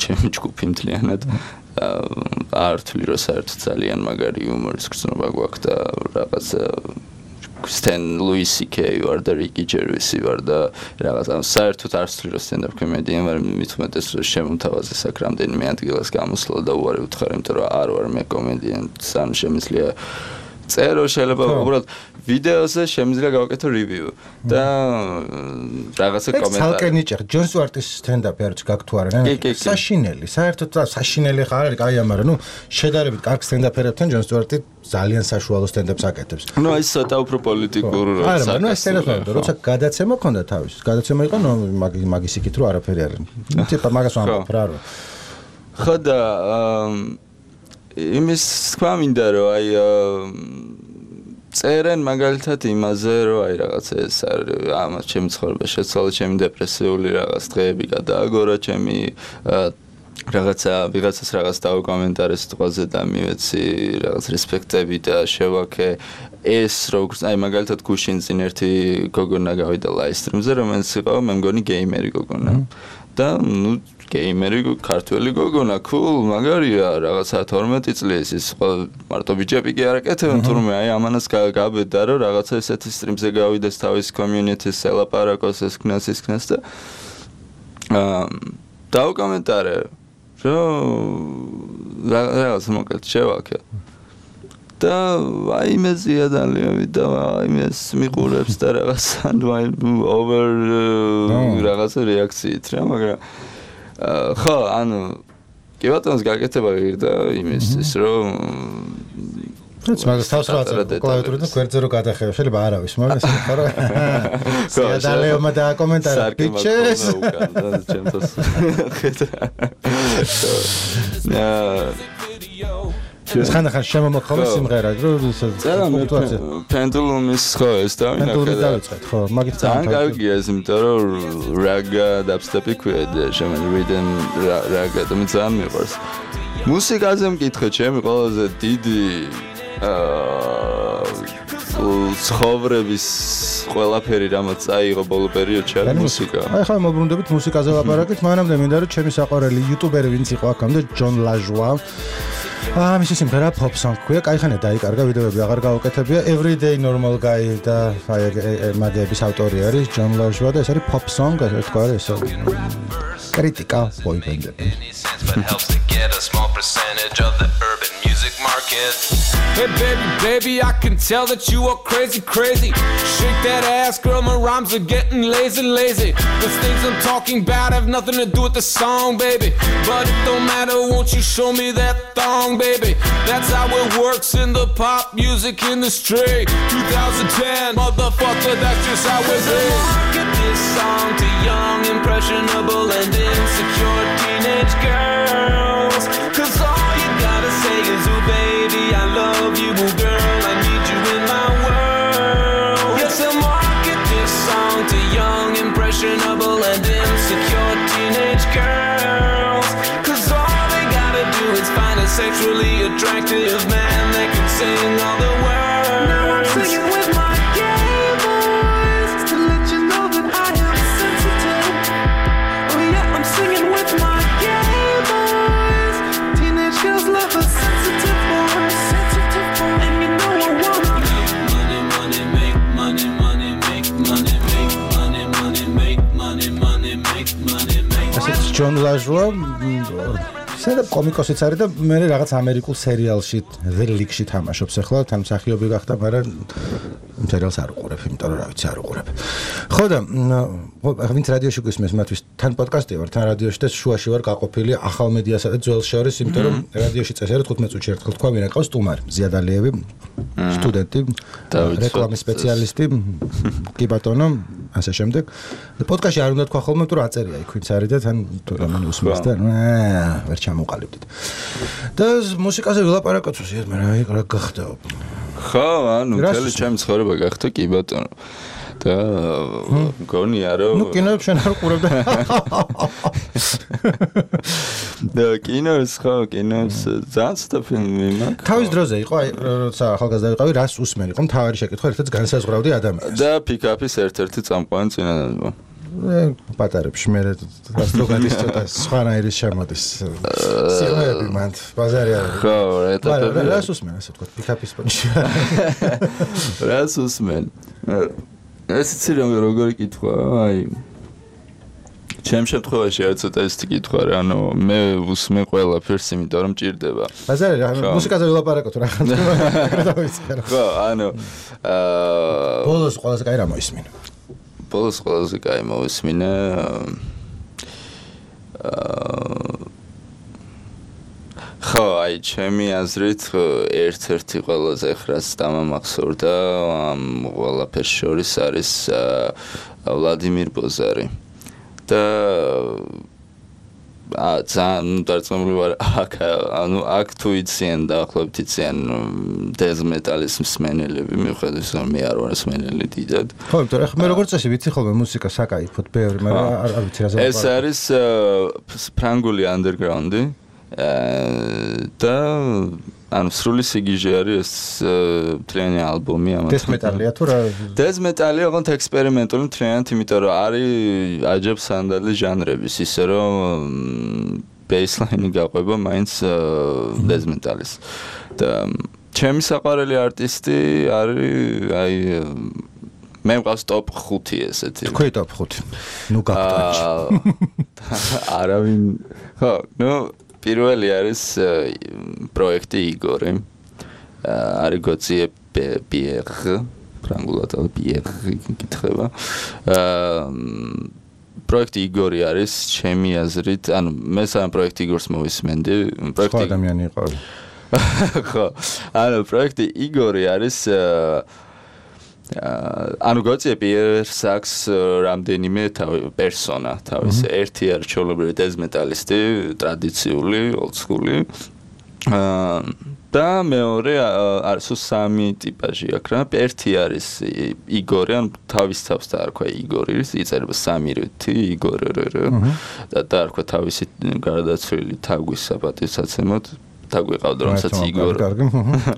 ჩემი ჯგუფი მთლიანად არ თვლი რომ საერთოდ ძალიან მაგარი იუმორის გრძნობა გვაქვს და რაღაც Stan Louis C.K. ვარ და Ricky Gervais ვარ და რაღაც საერთოდ არ ვთვლი რომ stand-up comedian ვარ მithumetes რომ შემომთავაზე აქ რამდენიმე ადგილას გამოსვლა და უარი ვთხარ იმიტომ რომ არ ვარ მე კომედიან სამ შემიძლია წერო შეიძლება უბრალოდ ვიდეოზე შემიძლია გავაკეთო review და რაღაცა კომენტარი.
ცალკე ნიჭი, ჯონ სტუარტის stand-up-ი არის გაქვთ თუ არა? საშინელი, საერთოდ საშინელი ხარ არის, კაია, მაგრამ ნუ შედარებით კარგ stand-up-ერებთან ჯონ სტუარტი ძალიან საშუალო stand-up-ს აკეთებს.
ნუ აი ცოტა უფრო პოლიტიკურ
არა, მაგრამ ეს stand-up-ი, როცა გადაცემა ქონდა თავის, გადაცემა იყო მაგის იქით რომ არაფერი არ. ტიპა მაგას ვამბობ რა.
ხო და იმის თქვა მინდა რომ აი წერენ მაგალითად იმაზე რომ აი რაღაცა ეს არის ამას ჩემი ცხოვრება შეცვალა ჩემი დეპრესიული რაღაც დღეები გადააგორა ჩემი ვიღაცას რაღაც დავკომენტარე სიტყვაზე და მივეცი რაღაც რესპექტები და შევაქე ეს როგორც აი მაგალითად გუშინ წინ ერთი გოგონა გავიდა ლაივსტრიმზე რომელიც იყო მე მგონი გეიმერი გოგონა და ნუ გეიმერი ქართველი გოგონა cool მაგარია რაღაცა 12 წლის ის მარტო ბიჭები კი არ აკეთებენ თურმე აი ამანას გაბედა რომ რაღაცა ესეთი სტრიმზე გავიდეს თავის community-ს ელაპარაკოს ეს ქნას და დავკომენტარე რომ რაღაც მოკლედ შევაქე და აი მეზია ძალიან და აი მეს მიყურებს და რაღაცა over რაღაცა რეაქციით რა მაგრამ ხო ანუ კი ბატონს გაკეთება ღირდა იმის ის რომ
ეს მაგას თავს რა კლავიატურით და გვერდზე რო გადახევ შეიძლება არავის მაგრამ ეს ხო რა სადალეომა და კომენტარი ბიჩეს ეს ხან შემომოხმე სიმღერა რომ
პენდულუმის ხო ეს
დავინახე ხო მაგით
ძალიან კარგია ეს იმიტომ რომ რაგა დაბსტეპი ქვია შემენ რიდენ რაგა და მე ძალიან მიყვარს მუსიკაზე მკითხე ჩემი ყველაზე დიდი ცხოვრების ყველაფერი რამაც წაიღო ბოლო პერიოდში არის მუსიკა.
აი ხა მოbrunდებით მუსიკაზე ლაპარაკით, მანამდე მინდა რომ ჩემი საყვარელი იუტუბერი ვინც იყო აქამდე ჯონ ლაჟვა. მისი სიმღერა pop song ქვია, кайხანე დაიკარგა, ვიდეოები აღარ გაუკეთებია. Everyday normal guy და აი მაგების ავტორი არის ჯონ ლაჟვა და ეს არის pop song, ასე თქვა ეს კრიტიკა ბოიბენდები.
Hey baby, I can tell that you are crazy. Shake that ass, girl, my rhymes are getting lazy. The things I'm talking about have nothing to do with the song, baby. But it don't matter, won't you show me that thong, baby? That's how it works in the pop music industry. 2010, motherfucker, that's just how it is. Market this song to young, impressionable, and insecure teenage girls. 'Cause all you gotta say is, ooh, baby, I love you, ooh, girl, I need you in my world. Yes, I market this song to young, impressionable, and insecure teenage girls. 'Cause all they gotta do is find a sexually attractive man that can sing all the words. Now I'm singing with my gay voice to let you know that I am sensitive. Oh yeah, I'm singing with my gay voice. Teenage girls love a sensitive voice. And you know I wanna money, make money, make money, make money, make money, make money, make money.
ეს ჯონ ლაჟვა სერია კომიკოსიც არის და მე რაღაც ამერიკულ სერიალში The League-ში თამაშობს ახლა თან მსახიობი გახდა, მაგრამ სერიალს არ უყურებ, იმიტომ რომ რა ვიცი არ უყურებ. ხო და ვინც რადიოში გვისმენს მათთვის თან პოდკასტი ვარ, თან რადიოში და შუაში ვარ გაყოფილი ახალ მედიასა და ძველ შორის, იმიტომ რომ რადიოში წესიერი 15 წუთში ერთხელ თქვა ვინ აკავს სტუმარი, ზიადალიევი, სტუდენტი, რეკლამის სპეციალისტი, კი ბატონო, ასე შემდეგ. და პოდკასტში არ უნდა თქვა ხოლმე, თუ რა აწერია იქ ვინც არის და თან თუ რამე უსმენს და ვერ ჩამოყალიბდით. და მუსიკაზე ვილაპარაკოთ, ზუსტად მე რა გახდა.
ხო, ანუ მთელი ჩემი ცხოვრება გახდა კი ბატონო. და გონია რომ
ნუ კინოებს შენ არ ყურებ
და კინოს ძალიან ცოტა ფილმი მაქვს.
თავის დროზე იყო, აი, როცა ახალგაზრდა ვიყავი, რას უსმენი? ყო მთავარი შეკითხვა, ერთად განსაზღვრავდი ადამიანს.
და პიკაპის ერთ-ერთი წამყვანი წინადადება.
პატარებში მე რას რო გადის ცოტა სხვანაირის შემოდის. სიღრმეები მანდ ბაზარი არის.
ხო, ეტაპები.
რას უსმენ, ასე ვთქვათ, პიკაპის პონჩი.
რას უსმენ? ეს იცი როგორი კითხვა, აი ჩემ შემთხვევაში არის ცოტა ეს კითხვა რა, ანუ მე უსმენ ყველაფერს, იმიტომ რომ ჭირდება.
ბაზარი რა, მუსიკაზე ვილაპარაკოთ რა ხან.
ხო, ანუ
ბოლოს ყველაზე კაი რა მოისმინე.
ბოლოს ყველაზე კაი მოისმინე. ხო, აი ჩემი აზრით ერთ-ერთი ყველაზე ხრას დამამახსოვრდა ამ ყველაფერს შორის არის ვლადიმირ ბოზარი. და ძალიან დარწმუნებული ვარ აქ თუ იციან დაახლოებით იციან დეზ მეტალის მსმენელები, მიუხედავად რომ მე არ ვარ მსმენელი დიდად.
ხო, იმიტომ რომ მე როგორც წესი ვიცი ხოლმე მუსიკა საკაიფოდ ბევრი, მაგრამ არ ვიცი რა ზოგადად.
ეს არის ფრანგული ანდერგრაუნდი. და ანუ სრული სიგიჟე არის ეს მთლიანი ალბომი ამათ.
დეზ მეტალია თუ რა?
დეზ მეტალია ოღონდ ექსპერიმენტული მთლიანად, იმიტომ რომ არის აჯებ სანდალი ჟანრების, ისე რომ ბეისლაინი გაყვება მაინც დეზ მეტალის. და ჩემი საყვარელი არტისტი არის აი მე მყავს ტოპ 5 ესეთი.
თქვი ტოპ 5. ნუ გაგტანჩი.
არავინ ხო, ნუ პირველი არის პროექტი იგორი. არის გოციე პიერ, ფრანგულად პიერ კითხება. პროექტი იგორი არის ჩემი აზრით, ანუ მე სამ პროექტი იგორს მოვისმენდი.
პროექტი ადამიანი იყო.
ხო, ანუ პროექტი იგორი არის ანუ გოციე პიერს აქვს რამდენიმე პერსონა, თავის ერთი არის ჩოლებრივი დეზ მეტალისტი, ტრადიციული, ოლდსკული. და მეორე არის სამი ტიპაჟი აქ რა. ერთი არის იგორი, ანუ თავის თავს დაარქვა იგორი, იწერება სამი რითი იგორი. და დაარქვა თავისი გარდაცვლილი თაგვის საპატივსაცემოდ. თაგვი ყავდა რომელსაც იგორი.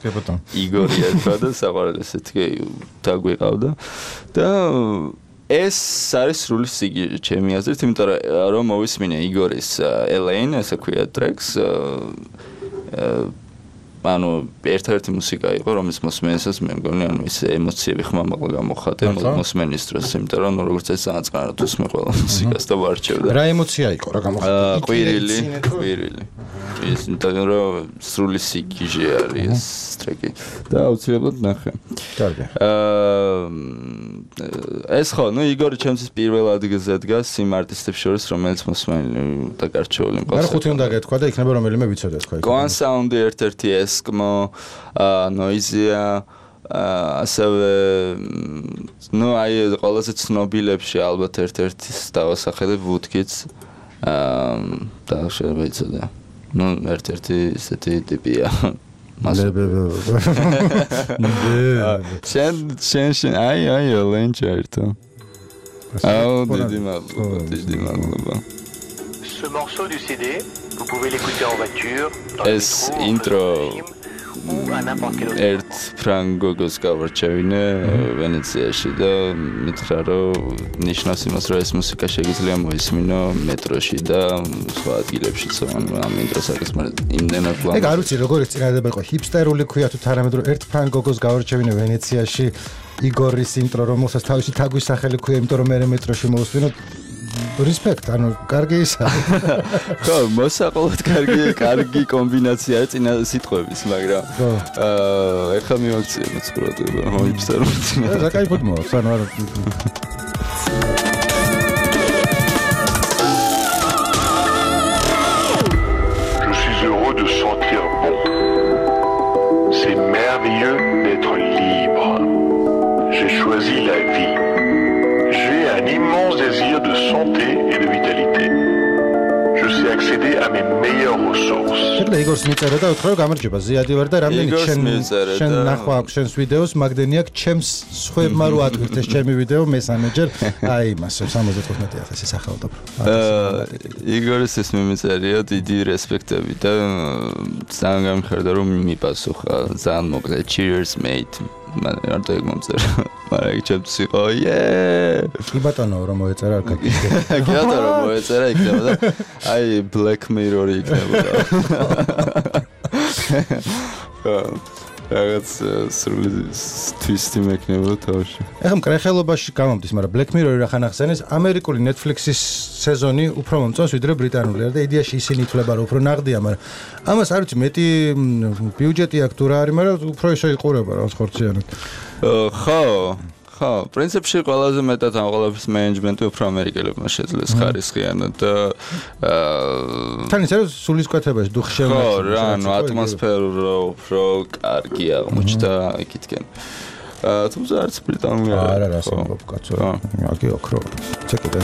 კი ბატონო.
იგორი ერქვა და საყვარელი ესეთი თაგვი ყავდა. და ეს არის სრული სიგიჟე ჩემი აზრით, იმიტომ რომ მოვისმინე იგორის ელეინ, ესე ქვია ტრეკს. ანუ ერთ-ერთი მუსიკა იყო, რომელიც მოსმენისას მე მგონი, ანუ ის ემოციები ხმამაღლა გამოხატე მოსმენის დროს, იმიტომ რომ როგორც ეს ძალიან წყაროდ უსმენ ყველა მუსიკას და ვარჩევდა.
რა ემოცია იყო, რა გამოხატე?
ყვირილი. ის იმიტომ რომ სრული სიგიჟე არის ეს ტრეკი და აუცილებლად ნახე.
კარგი.
ეს ხო, ნუ იგორი ჩემთვის პირველ ადგილზე დგას იმ არტისტებს შორის, რომელიც მოსმენილი და გარჩეული მყავს.
არა ხუთი უნდა გეთქვა და იქნება რომელიმე ვიცოდე თქვა.
Goan Sound ერთ-ერთი Eskimo, Noisia, ასევე ნუ აი ყველაზე ცნობილებში ალბათ ერთ-ერთის დავასახელებ Woodkids. და შეიძლება იცოდე. ნუ ერთ-ერთი ესეთი ტიპია. შენ აი ლენჩერტო.
Ce morceau du CD, vous pouvez l'écouter en voiture, dans le métro,
intro
ou à n'importe quel autre
ერთ ფრანგოგოს გავარჩევინე ვენეციაში და მითხრა რომ ნიშნავს იმას რომ ეს მუსიკა შეიძლება მოისმინო მეტროში და სხვა ადგილებშიც ამ ინტროს არის მაგრამ იმდენად
ლამაზ. ეგ არ ვიცი როგორი წინადადება იყო ჰიპსტერული ქვია თუ თანამედროვე ერთ ფრანგოგოს გავარჩევინე ვენეციაში იგორის ინტრო რომელსაც თავისი თაგვის სახელი ქვია იმიტომ რომ მე მეტროში მოვუსმინო Respect, ანუ კარგი ისა.
ხო, მოსაყოლოდ კარგი კომბინაციაა წინა სიტყვების, მაგრამ ეხლა მივაქციე მოწყურება, მოიფსარო წინა.
რა кайფოდ მოაქვს, ანუ არა.
Je suis heureux de sentir bon. C'est merveilleux d'être libre. J'ai choisi la vie. J'ai un immense désir de santé et de vitalité. Je sais accéder à mes meilleures ressources.
შეგიძლია იგორს იგორს მიწერა და უთხრა რომ გამარჯობა ზიადი ვარ და რამდენი შენ ნახვა აქვს შენს ვიდეოს მაგდენი აქვს ჩემს სხვებმა რო ატვირთეს ჩემი ვიდეო მესამეჯერ აი იმას 75,000 სახალხო
იგორის ეს მიმწერია დიდი რესპექტები და ძალიან გამიხარდა რომ მიპასუხა ძალიან მოკლე cheers mate მან არ დაიგმომწერა მაგრამ იქ ჩემს იყო
კი ბატონო რომ მოეწერა არ გაგიგე
კი ბატონო რომ მოეწერა იქნება და აი black mirror-ი იქნებოდა რაღაც სრული twist-ი მექნებოდა თავში
ეხლა მკრეხელობაში გამომდის მაგრამ black mirror-ი რახან ახსენეს ამერიკული Netflix-ის სეზონი უფრო მომწონს ვიდრე ბრიტანული და იდეაში ისინი ითვლება რომ უფრო ნაღდია მაგრამ ამას არ ვიცი მეტი ბიუჯეტი აქვს თუ რა არის მაგრამ უფრო ისე იყურება რაღაც ხორციანად ხო პრინციპში ყველაზე მეტად ამ ყველაფრის მენეჯმენტი უფრო ამერიკელებმა შეძლეს ხარისხიანად და თან ისე სულისკვეთებაში დუხშევნა
ხო რა ანუ ატმოსფერო უფრო კარგი აღმოჩნდა იქითკენ თუმცა არც ბრიტანული
არა ამბობ კაცო აგი ოქრო ჩეკიდე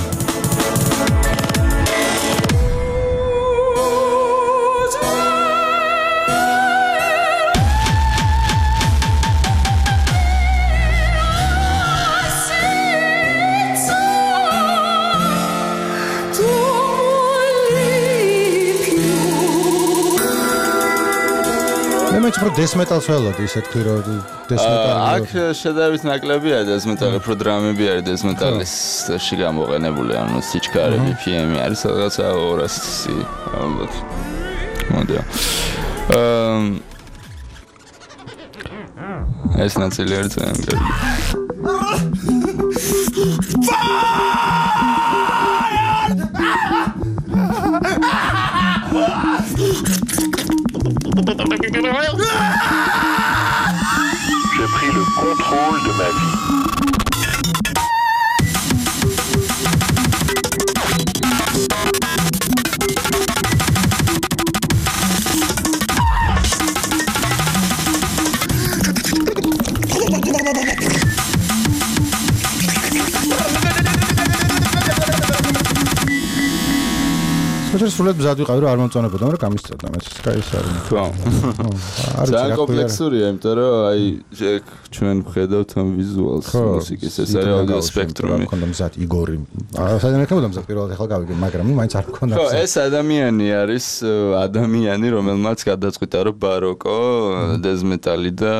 უფრო death metal-ს ველოდი ისე თქვი რომ death metal-ი
აქ შედარებით ნაკლებია death metal-ი უფრო დრამები არის death metal-ში გამოყენებული ანუ სიჩქარე BPM-ი არის რაღაცა 200-ი ალბათ მოდია ეს ნაწილი არის ძალიან კარგი
J'ai pris le contrôle de ma vie.
შეიძლება სულად მზად ვიყავი რომ არ მომწონებოდა, მაგრამ გამისწორდა მეც კაის არის.
ხო. ძალიან კომპლექსურია, იმიტომ რომ აი ჩვენ ვხედავთ ამ ვიზუალს მუსიკის ეს არის აუდიო სპექტრუმი.
მქონდა მზად იგორი. საერთოდ მქონდა მზად პირველად ახლა გავიგე, მაგრამ მაინც არ მქონდა.
ხო, ეს ადამიანი არის ადამიანი, რომელმაც გადაწყვიტა რომ ბაროკო, death metal-ი და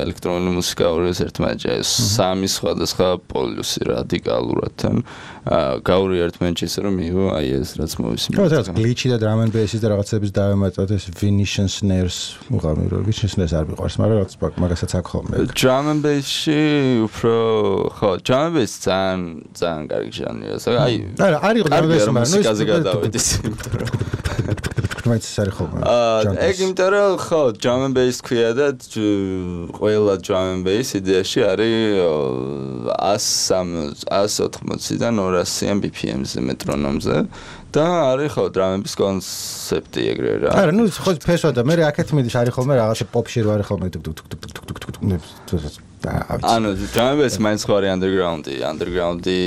ელექტრონული მუსიკა ორს ერთმანეთში ეს სამი სხვადასხვა პოლუსი რადიკალურად თან გაურია ერთმანეთში ისე რომ მიიღო აი ეს რაც
ხო, ეს glitch-ი და drum and bass-ის და რაღაცების დავემატოთ ეს Venetian snares უყავი რომ Venetian snares არ მიყვარს, მაგრამ რაღაც მაგასაც აქ ხოლმე.
Drum and bass-ში უფრო ხო, drum and bass ძალიან კარგი ჟანრია. აი
არ იყო drum and bass, მაგრამ
მუსიკაზე გადავედეს, იმიტომ რომ
მაინც არის ხოლმე.
ეგ იმიტომ რომ ხო, drum and bass ქვია და ყველა drum and bass იდეაში არის 180-დან 200 BPM-ზე მეტრონომზე. და არის ხო დრამების კონცეფტი ეგრე რა.
არა, ნუ ხო ფესვა და მე აქეთ მიდის არის ხოლმე რაღაცა პოპში რო არის ხოლმე
ანუ დრამების მაინც ხო არის underground-ი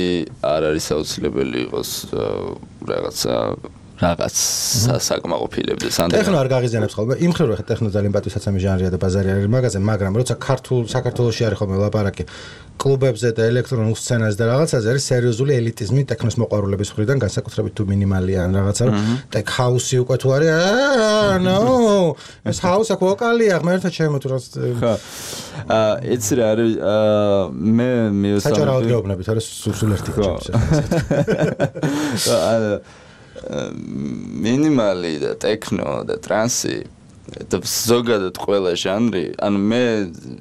არ არის აუცილებელი იყოს რაღაც საკმაყოფილებდეს
ტექნო არ გაღიზიანებს ხოლმე იმ ხრო ხა ტექნო ძალიან პატივსაცემი ჟანრია და ბაზარი არის მაგაზე მაგრამ როცა საქართველოში არის ხოლმე ლაპარაკი კლუბებზე და ელექტრონულ სცენაზე და რაღაცაზე არის სერიოზული ელიტიზმი ტექნოს მოყვარულების მხრიდან განსაკუთრებით თუ მინიმალია ან რაღაცა რომ ტექ ჰაუსი უკვე თუ არის ნო ეს ჰაუსი აქ ვოკალია ღმერთო ჩემო თუ რაც
ხა იცი რა არის მე მიუსა
საჭარაოდ გეუბნებით არა სულ ერთი ჩემს
მინიმალი და ტექნო და ტრანსი და ზოგადად ყველა ჟანრი, ანუ მე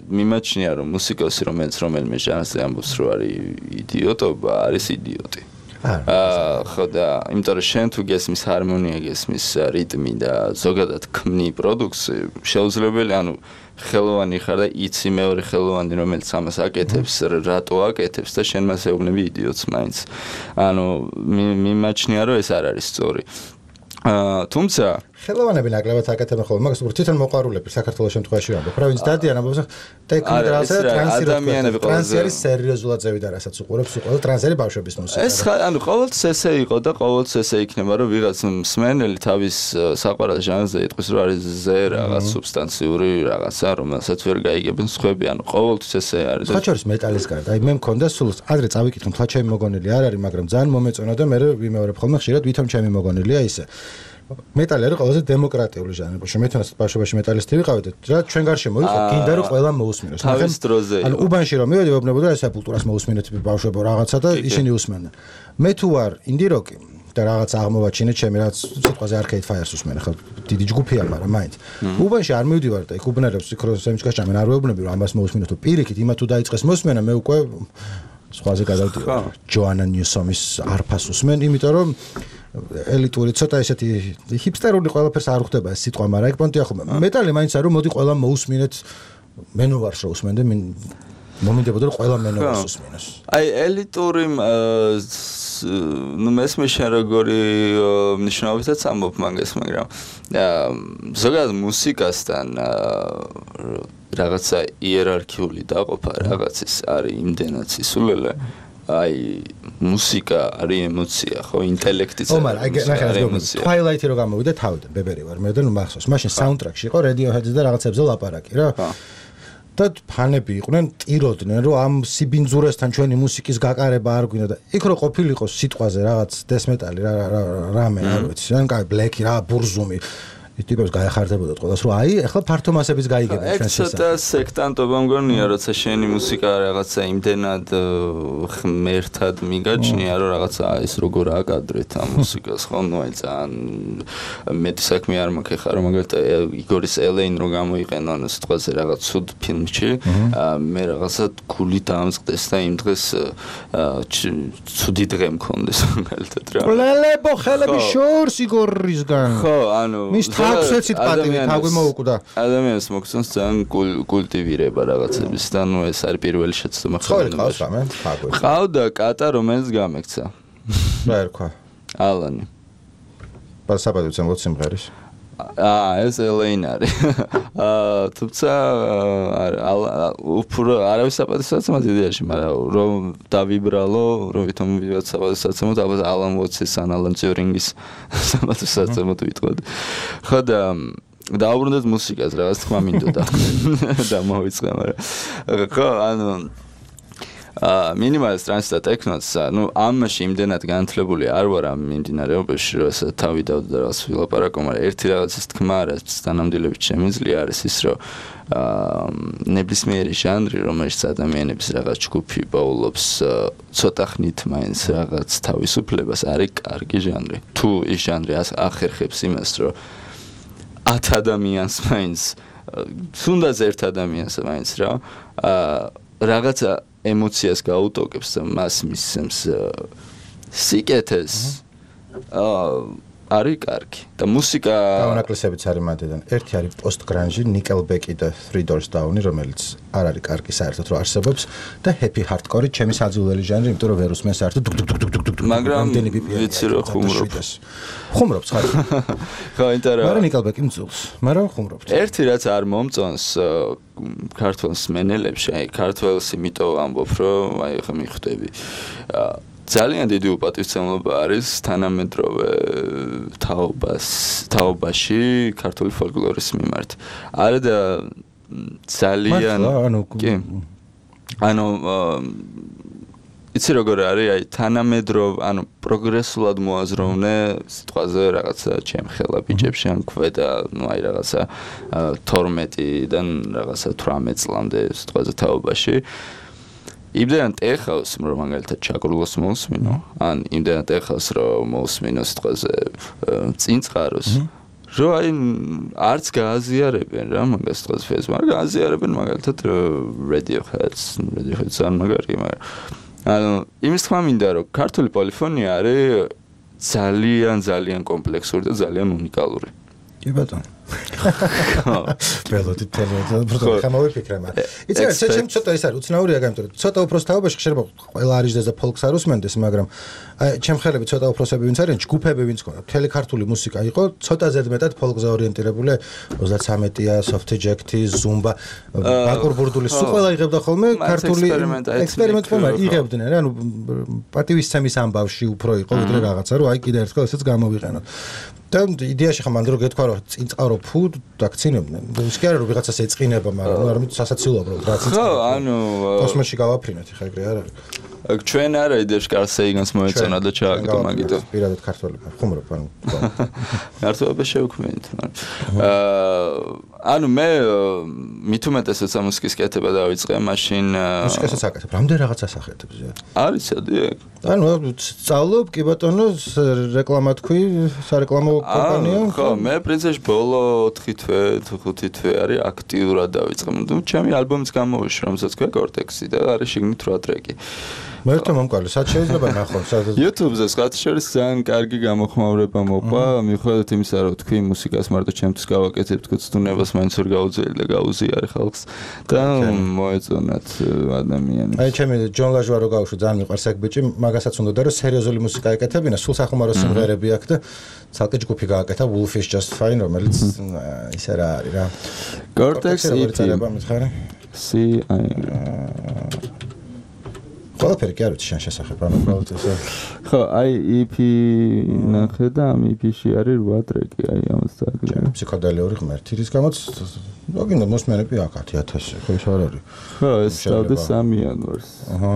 მიმაჩნია რომ მუსიკოსი რომელიმე ჟანრზე ამბობს რომ არის იდიოტობა, არის იდიოტი. ხო და იმიტომ რომ შენ თუ გესმის ჰარმონია, გესმის რიტმი და ზოგადად ქმნი პროდუქტს, შეუძლებელი, ანუ ხელოვანი ხარ და იცი მეორე ხელოვანი რომელიც ამას აკეთებს, რატო აკეთებს და შენ მას ეუბნები იდიოტს მაინც. ანუ მიმაჩნია რომ ეს არ არის სწორი. თუმცა
ხელოვანები ნაკლებად აკეთებენ ხოლმე, მაგას უფრო თვითონ მოყვარულები საქართველოს შემთხვევაში ვამბობ. რა ვინც დადიან ამბობს, ტექნიკაზე ტრანსირებული. ტრანსიერი სერიოზულად ზევიდა, რასაც უყურებს, უყურებს ტრანსიერი ბავშვების მუსიკა.
ეს ანუ ყოველთვის ესე იყო და ყოველთვის ესე იქნება, რომ ვიღაც მსმენელი თავის საყვარელ ჟანრზე იტყვის, რომ არის ზე რაღაც სუბსტანციური რაღაცა, რომელსაც ვერ გაიგებენ სხვები, ანუ ყოველთვის ესე არის.
ხაჩორის მეტალის გარდა, აი მე მქონდა სულ ადრე წავიკითხე, თლა ჩემი მოგონილი არ არის, მაგრამ ძალიან მომეწონა და მე ვიმეორებ ხოლმე ხშირად ვითომ ჩემი მოგონილია ისე. მეტალი არის ყველაზე დემოკრატიული ჟანრი. მე თვითონაც ბავშვობაში მეტალისტი ვიყავი და რა ჩვენ გარშემო იყო, გინდა რომ ყველა მოусმინოს.
თავის დროზე.
ანუ უბანში რომ მივედი, ვეუბნებოდა ესა კულტურას მოусმინეთ ბავშვებო რაღაცა და ისინი უსმენდნენ. მე თუ ვარ ინდი როკი და რაღაც აღმოვაჩინე ჩემი რაც სიტყვაზე Arcade Fire-ს უსმენ, ხო დიდი ჯგუფია, მაგრამ მაინც. უბანში არ მივდივარ და იქ უბნერებს იქროსემის გასჭამენ არ ვეუბნები რომ ამას მოусმინოთ, პირიქით იმა თუ დაიწყეს მოსმენა, მე უკვე სხვაზე გადავდივარ. ჯოანა ნიუსომის არფას უსმენ, იმიტომ რომ ელიტური ცოტა ესეთი ჰიპსტერული ყველაფერს არ ხვდება ეს სიტყვა, მაგრამ ეგ პონტია ხომ. მეტალი მაინც არ რომ მოდი ყველა მოусმინეთ, მენოვარს რო უსმენდე, მომინდებოდა რომ ყველა მენოვარს უსმინოს.
აი ელიტური ნუ მესმე შენ როგორი მნიშვნელობითაც ამბობ მაგას, მაგრამ ზოგადად მუსიკასთან რაღაცა იერარქიული დაყოფა რაღაცის არის იმდენად სისულელე. აი მუსიკა არის ემოცია, ხო, ინტელექტიც არის.
მაგრამ აი ნახე, Twilight-ი რო გამოვიდა თავიდან, ბებერი ვარ მე და ნუ მახსოვს. მაშინ საუნდტრაკში იყო Radiohead-ზე და რაღაცებზე ლაპარაკი რა. და ფანები იყვნენ, ტიროდნენ, რომ ამ სიბინძურესთან ჩვენი მუსიკის გაკარება არ გვინდა და იქ რო ყოფილიყო სიტყვაზე რაღაც დესმეტალი რამე არ ვიცი, ან კაი ბლეკი რა, ბურზუმი ტიპებს გაეხარდებოდათ ყველას, რომ აი, ახლა ფართო მასების გაიგებენ ჩვენს
ესა. ცოტა სექტანტობა მგონია, როცა შენი მუსიკა რაღაცა იმდენად ღმერთად მიგაჩნია, რომ რაღაცა ის როგორ აკადრეთ ამ მუსიკას, ხო, ნუ აი ძალიან მეტი საქმე არ მაქვს ხა, რომ მაგალითად იგორის ელეინ რო გამოიყენო ანუ სიტყვაზე რაღაც ცუდ ფილმში, მე რაღაცა გული დაამწყდეს და იმ დღეს ცუდი დღე მქონდეს მაგალითად რა.
ლელებო ხელები შორს იგორისგან.
ხო, ანუ
აქვსეცით პატივი თავი მოუკვდა.
ადამიანს მოგწონს ძალიან კულტივირება რაღაცების და ნუ ეს არის პირველი შეცდომა
ხელოვნებაში.
ყავდა კატა რომელიც გამექცა.
რა ერქვა?
ალანი.
პასაპატივ ცემოთ სიმღერის.
ეს ელეინ არის. თუმცა უფრო არავის საპატივსაცემად იდეაში, მაგრამ რომ დავიბრალო, რომ ვითომ ვიღაც საპატივსაცემად, ალბათ ალან ვოტსის ან ალან ტიურინგის საპატივსაცემად ვიტყოდი. ხო და დაუბრუნდეთ მუსიკას, რაღაც თქმა მინდოდა. და მოვიწყე, მაგრამ ხო, ანუ მინიმალისტ ტრანსი და ტექნოც, ნუ ამაში იმდენად განათლებული არ ვარ ამ მიმდინარეობაში, რომ ესა თავი დავდო და რაღაც ვილაპარაკო, მაგრამ ერთი რაღაცის თქმა რაც თანამდებობით შემიძლია არის ის, რომ ნებისმიერი ჟანრი, რომელშიც ადამიანების რაღაც ჯგუფი პაულობს ცოტა ხნით მაინც რაღაც თავისუფლებას, არის კარგი ჟანრი. თუ ის ჟანრი ახერხებს იმას, რომ 10 ადამიანს მაინც, თუნდაც ერთ ადამიანს მაინც რა, რაღაცა ემოციას გაუტოკებს და მას მისცემს სიკეთეს, არის კარგი. და მუსიკა
დაუნაკლისებიც არის მანდიდან. ერთი არის post-grunge, Nickelback და Three Doors Down, რომელიც არ არის კარგი საერთოდ რომ არსებობს და happy hardcore ჩემი საძულელი ჟანრი, იმიტომ რომ ვერ უსმენ საერთოდ
მაგრამ ვიცი რომ
ხუმრობს ხარ.
ხო, ინტერესა.
მაგრამ Nickelback მძულს, მაგრამ ხუმრობს.
ერთი რაც არ მომწონს ქართულს მენელებში, აი ქართულს იმიტომ ამბობ, რომ აი ხა მიხვდები. ძალიან დიდი უპატივცემლობა არის თანამედროვე თაობაში ქართული ფოლკლორის მიმართ. არა და ძალიან ანუ იცი როგორ არის, აი თანამედროვე, ანუ პროგრესულად მოაზროვნე სიტყვაზე რაღაცა ჩემხელა ბიჭებში ან ქვედა, ნუ აი რაღაცა 12-დან რაღაცა 18 წლამდე სიტყვაზე თაობაში. იმდენად ეხავს, რომ მაგალითად ჩაკრულოს მოусმინო, ან იმდენად ეხავს, რომ მოусმინო სიტყვაზე წინწყაროს, რომ აი არც გააზიარებენ რა მაგას სიტყვაზე ფესს, მაგრამ გააზიარებენ მაგალითად Radiohead-ს ან მაგარი, მაგრამ ანუ იმის თქმა მინდა, რომ ქართული პოლიფონია არის ძალიან კომპლექსური და ძალიან უნიკალური.
კი ბატონო. ველოდით თელევიზია ხამოვიფიქრე მაგრამ იცი ჩემ ცოტა ის არის უცნაურია გამიტომ ცოტა უფრო თავებაში ხშირება ყველა არის და ფოლკს არ უსმენდეს მაგრამ ჩემ ხელები ცოტა უფროსები ვინც არიან ჯგუფები ვინც ქონდა მთელი ქართული მუსიკა იყო ცოტა ზედმეტად ფოლკზე ორიენტირებული 33-ია soft jack-ი zumba ბაკურ ბურდულის სულ ყველა იღებდა ხოლმე ქართული ექსპერიმენტ ხოლმე იღებდნენ რა ანუ პატივისცემის ამბავში უფრო იყო ვიდრე რაღაცა რომ აი კიდე ერთხელ ესეც გამოვიყენოთ და იდეაში ხომ ანდრო გეთქვა რომ წინწყარო ფუ დაგცინებდნენ ის კი არა რომ ვიღაცას ეწყინება მაგრამ ნუ არამედ სასაცილოა უბრალოდ რაც
ხო ანუ
კოსმოსში გავაფრინეთ ხა ეგრე არ არის
ჩვენ არა იდეაში კარსეიგანს მოეწონა და ჩააგდო მაგითო
პირადად ქართველები ხუმრობ ანუ
ქართველები შევქმნით ანუ მე მithumetes მუსიკის კეთება დავიწყე მაშინ
მუსიკასაც აკეთებ რამდენ რაღაცას ახეთებს
არის სადიაკ
ანუ სწავლობ კი ბატონო რეკლამა თქვი სარეკლამო კომპანია
ხო მე პრინციპში ბოლო 4 თვე 5 თვე არის აქტიურად დავიწყე ნუ ჩემი ალბომიც გამოვიშვა რომელსაც ქვია კორტექსი და არის შიგნით 8 ტრეკი
მე თვითონ მომკალი სად შეიძლება ნახო
YouTube-ზე სხვათა შორის ძალიან კარგი გამოხმაურება მოყვა მიუხედავად იმისა რომ თქვი მუსიკას მარტო ჩემთვის გავაკეთებ თქო ცდუნებას მაინც ვერ გაუძლელი და გაუზიარი ხალხს და მოეწონათ ადამიანებს
აი ჩემი ჯონ ლაჟვა რო გავუშვი ძალიან მიყვარს ეგ ბიჭი მაგასაც უნდა რომ სერიოზული მუსიკა ეკეთებინა სულ სახუმარო სიმღერები აქვს და ცალკე ჯგუფი გააკეთა Wolf is Just Fine რომელიც ისე რა არის რა
Cortex
EP მითხარი ყველაფერი კი არ ვიცი შენ შესახებ ანუ უბრალოდ ესე
ხო აი EP ნახე და ამ EP-ში არის 8 ტრეკი აი ამას წააგლე
ფსიქოდელიური ღმერთი რის გამოც გოგინდა მოსმენები აქ 10000 ხო ის არ არის
ხო ეს დავდე 3 იანვარს
აჰა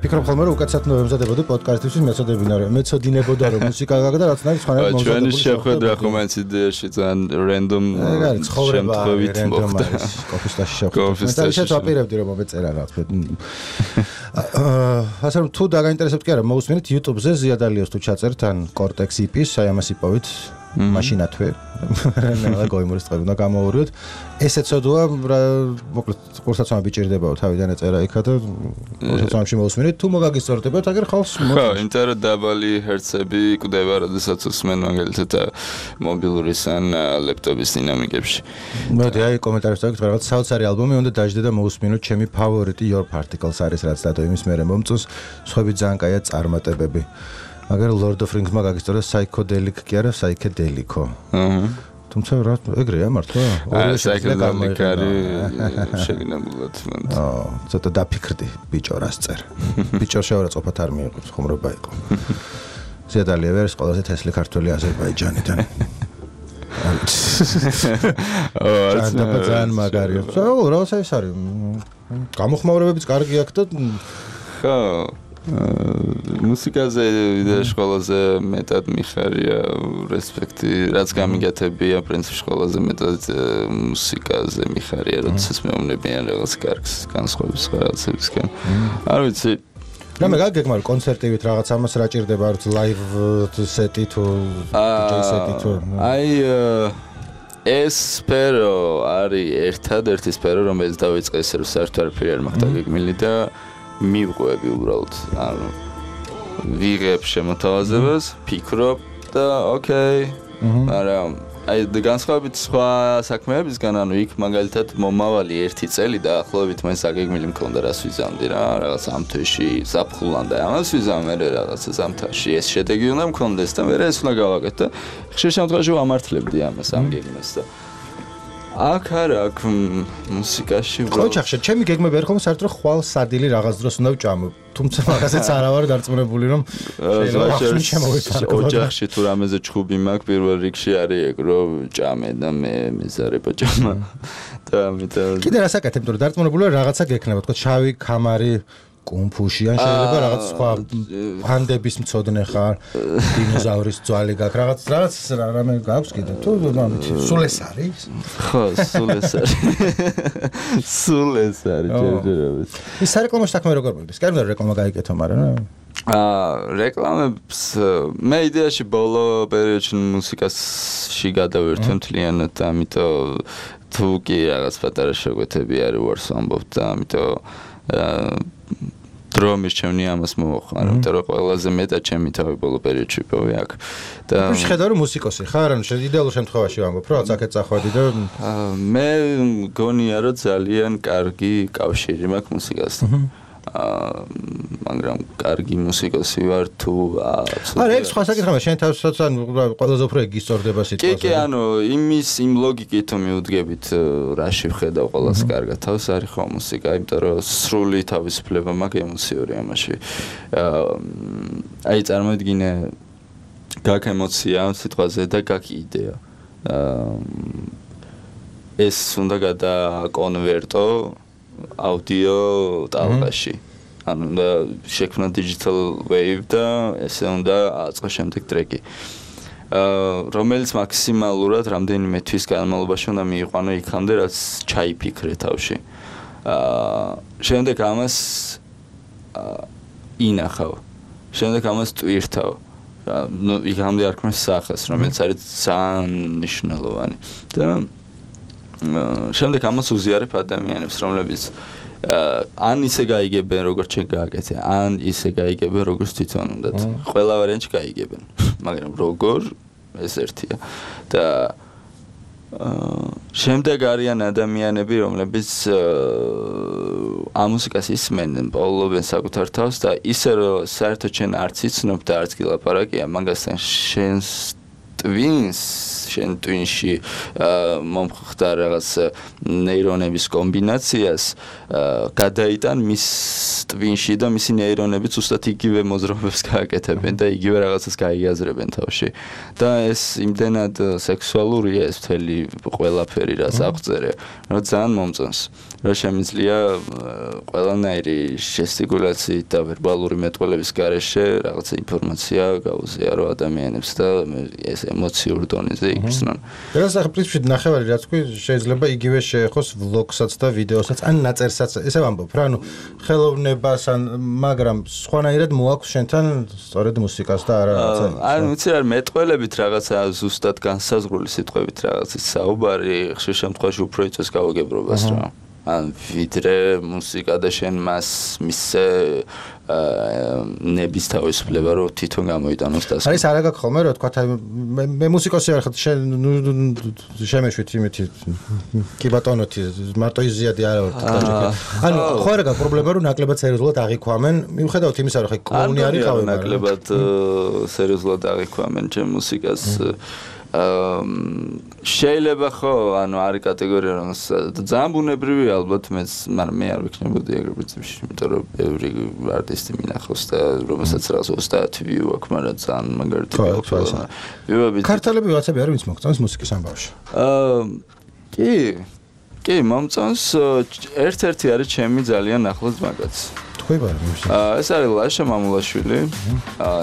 ფიქრობ ხოლმე რომ უკაცრავად მომზადებოდი პოდკასტისთვის მეცოდინებოდა რომ მუსიკა გაგდა რაც ნაირ სხვანაირად
მომზადებოდი ჩვენი შეხვედრა ხომ ეს იდეაში ძალიან რენდომ
შემთხვევით მოხდა კოფისტაში შეხვედრა მე ისე ვაპირებდი რომ მომეწერა რა თქმა ასე რომ თუ დაგაინტერესებთ კი არა მოусმინეთ YouTube-ზე ზიადალიოს თუ ჩაწერთ ან Cortex EP-ს აი ამას იპოვით მაშინათვე რა გოიმურის წყები უნდა გამოურიოთ ესეც ოდოა მოკლედ კურსაცომა ბიჭირდებაო თავიდან ეწერა იქა და კურსაცომაში მოусმინეთ თუ მოგაგისწორდებათ აგერ ხალხს
ხო იმიტომ რომ დაბალი ჰერცები კვდება როდესაც უსმენ მაგალითად მობილურის ან ლეპტოპის დინამიკებში
მოდი აი კომენტარებში დაგეთ რაღაც საოცარი ალბომი უნდა დაждდე და მოусმინოთ ჩემი ფავორიტი Your Particles არის რაც დადო იმის მერე მომწონს სხვები ძალიან კაია წარმატებები მაგრამ Lord of Rings-მა გაგისწორა psychedelic კი არა psychedelic-ო. აჰა. თუმცა რა ეგრეა მართლა?
psychedelic არის შეგინებულად.
აა, ცოტა დაფიქრდი ბიჭო რას წერ. ბიჭო შეურაცხყოფათ არ მიიღებს, ხუმრობა იყო. ზედალია ვერს ყველაზე თესლი ქართველი აზერბაიჯანიდან. აა, ძალიან მაგარია. რა ეს არის? გამოხმაურებებიც კარგი აქვს და
ხო მუსიკაზე იდეაში ყველაზე მეტად მიხარია რესპექტი რაც გამიგეთებია პრინციპში ყველაზე მეტად მუსიკაზე მიხარია როდესაც მეუბნებიან რაღაც კარგს განსხვავების რაღაცებისგან არ ვიცი
რა მე გაგეგმარ კონცერტივით რაღაც ამას რა ჭირდება არ ვიცი ლაივ სეტი თუ DJ სეტი თუ
აი ეს სფერო არის ერთადერთი სფერო რომელიც დავიწყე ისე რომ საერთოდ არაფერი არ მაქვს დაგეგმილი და მივყვები უბრალოდ ანუ ვიღებ შემოთავაზებას ფიქრობ და ოკეი მაგრამ აი განსხვავებით სხვა საქმეებისგან ანუ იქ მაგალითად მომავალი 1 წელი და ახლობით მაინც აგეგმილი მქონდა რას ვიზამდი რა რაღაც ამ თვეში საფხულან და ამას ვიზამე რაღაცა ზამთარში ეს შედეგი უნდა მქონდეს და მე ეს უნდა გავაკეთე და ხშირ შემთხვევაში ვამართლებდი ამას ამ გეგმას და აქ არა აქ მუსიკაში
ხო ჩახშე ჩემი გეგმები არ ხომ საერთოდ ხვალ სადილი რაღაც დროს უნდა ვჭამო თუმცა მაგასაც არ ვარ დარწმუნებული რომ
შეიძლება ოჯახში თუ რამეზე ჩხუბი მაქვს პირველ რიგში არის ეგ რომ ჭამე და მე მეზარება ჭამა და ამიტომ
კიდე რას აკეთებ თუ დარწმუნებული ვარ რაღაცა გექნება თქო შავი კამარი კუნფუში ან შეიძლება რაღაც სხვა ფანდების მწოდნე ხარ დინოზავრის ძვალი გაქვს რაღაც რამე გაქვს კიდე თუ სულ ეს არის
ხო სულ ეს არის ჯერჯერობით
ის სარეკლამო საქმე როგორ მოდის კარგი რეკლამა გაიკეთო მაგრამ
რეკლამებს მე იდეაში ბოლო პერიოდში მუსიკაში გადავერთე მთლიანად და ამიტომ თუ კი რაღაც პატარა შეგვეთები არის ვარს ამბობ და ამიტომ დრო მირჩევნი ამას მოხარ ამიტომ რომ ყველაზე მეტად ჩემი თავი ბოლო პერიოდში პოვი აქ და
შეხედა რომ მუსიკოსი ხარ ანუ იდეალურ შემთხვევაში ვამბობ რომ აქეთ წახვედი და
მე გონია რომ ძალიან კარგი კავშირი მაქვს მუსიკასთან მაგრამ კარგი მუსიკოსი ვარ თუ
არა ეს სხვა საკითხია შენ თავსაც ან ყველაზე უფრო გისწორდება სიტყვაზე
კი ანუ იმ ლოგიკით მივუდგებით რაში ვხედავ ყველას კარგად თავს არის ხო მუსიკა იმიტომ რომ სრული თავისუფლება მაქვს ემოციური ამაში აი წარმოიდგინე გაქ ემოცია სიტყვაზე და გაქ იდეა ეს უნდა გადაკონვერტო აუდიო ტალღაში ანუ და შექმნა digital wave და ესე უნდა აწყოს შემდეგ ტრეკი რომელიც მაქსიმალურად რამდენიმე თვის განმავლობაში უნდა მიიყვანო იქამდე რაც ჩაიფიქრე თავში შემდეგ ამას ინახავ შემდეგ ამას ტვირთავ ნუ იქამდე არ ქმნის სახეს რომელიც არის ძალიან მნიშვნელოვანი და შემდეგ ამას უზიარებ ადამიანებს რომლებიც ან ისე გაიგებენ როგორც შენ გააკეთე ან ისე გაიგებენ როგორც თვითონ უნდათ ყველა ვარიანტი გაიგებენ მაგრამ როგორ ეს ერთია და შემდეგ არიან ადამიანები რომლებიც ამ მუსიკას ისმენენ პოულობენ საკუთარ თავს და ისე რომ საერთოდ შენ არც იცნობ და არც გილაპარაკია მაგასთან შენ ტვინში მომხდა რაღაც ნეირონების კომბინაციას გადაიტან მის ტვინში და მისი ნეირონები ზუსტად იგივე მოძრაობებს გააკეთებენ და იგივე რაღაცას გაიაზრებენ თავში და ეს იმდენად სექსუალურია ეს მთელი ყველაფერი რაც აღწერე რომ ძალიან მომწონს რომ შემიძლია ყველანაირი ჟესტიკულაციით და ვერბალური მეტყველების გარეშე რაღაცა ინფორმაცია გაუზიარო ადამიანებს და ეს ემოციურ დონეზე იგრძნონ.
ეს ახლა პრინციპში ნახევარი რაც თქვი შეიძლება იგივე შეეხოს ვლოგსაც და ვიდეოსაც ან ნაწერსაც ესე ვამბობ რა ანუ ხელოვნებას ან მაგრამ სხვანაირად მოაქვს შენთან სწორედ მუსიკას და არა რაღაცა
ანუ ვიცი რა მეტყველებით რაღაცა ზუსტად განსაზღვრული სიტყვებით რაღაცის საუბარი ხშირ შემთხვევაში უფრო იწვევს გაუგებრობას რა ან ვიდრე მუსიკა და შენ მას მისცე ნების თავისუფლება რომ თვითონ გამოიტანოს და
არის არა გაქვს ხოლმე რა თქვა მე მუსიკოსი ვარ ხარ შენ შემეშვით იმითი კი ბატონოთი მარტო იზიადი არა ვარ დაჭერა ანუ ხო არა გაქვს პრობლემა რომ ნაკლებად სერიოზულად აღიქვამენ მიუხედავად იმისა რომ ხე კლოუნი არის ხავი
ნაკლებად სერიოზულად აღიქვამენ ჩემ მუსიკას შეიძლება ხო ანუ არის კატეგორია რომ ძალიან ბუნებრივია ალბათ მეც მაგრამ მე არ ვიქნებოდი ეგრე პრინციპში იმიტომ რომ ბევრი არტისტი მინახავს და რომელსაც რაღაც 30 ვიუ აქვს მაგრამ ძალიან მაგარითი ვიუები
ქართველები ვაცები არის ვინც მოგწონს მუსიკის ამბავში
კი მომწონს ერთ-ერთი არის ჩემი ძალიან ახლოს მაგაც ეს არის ლაშა მამულაშვილი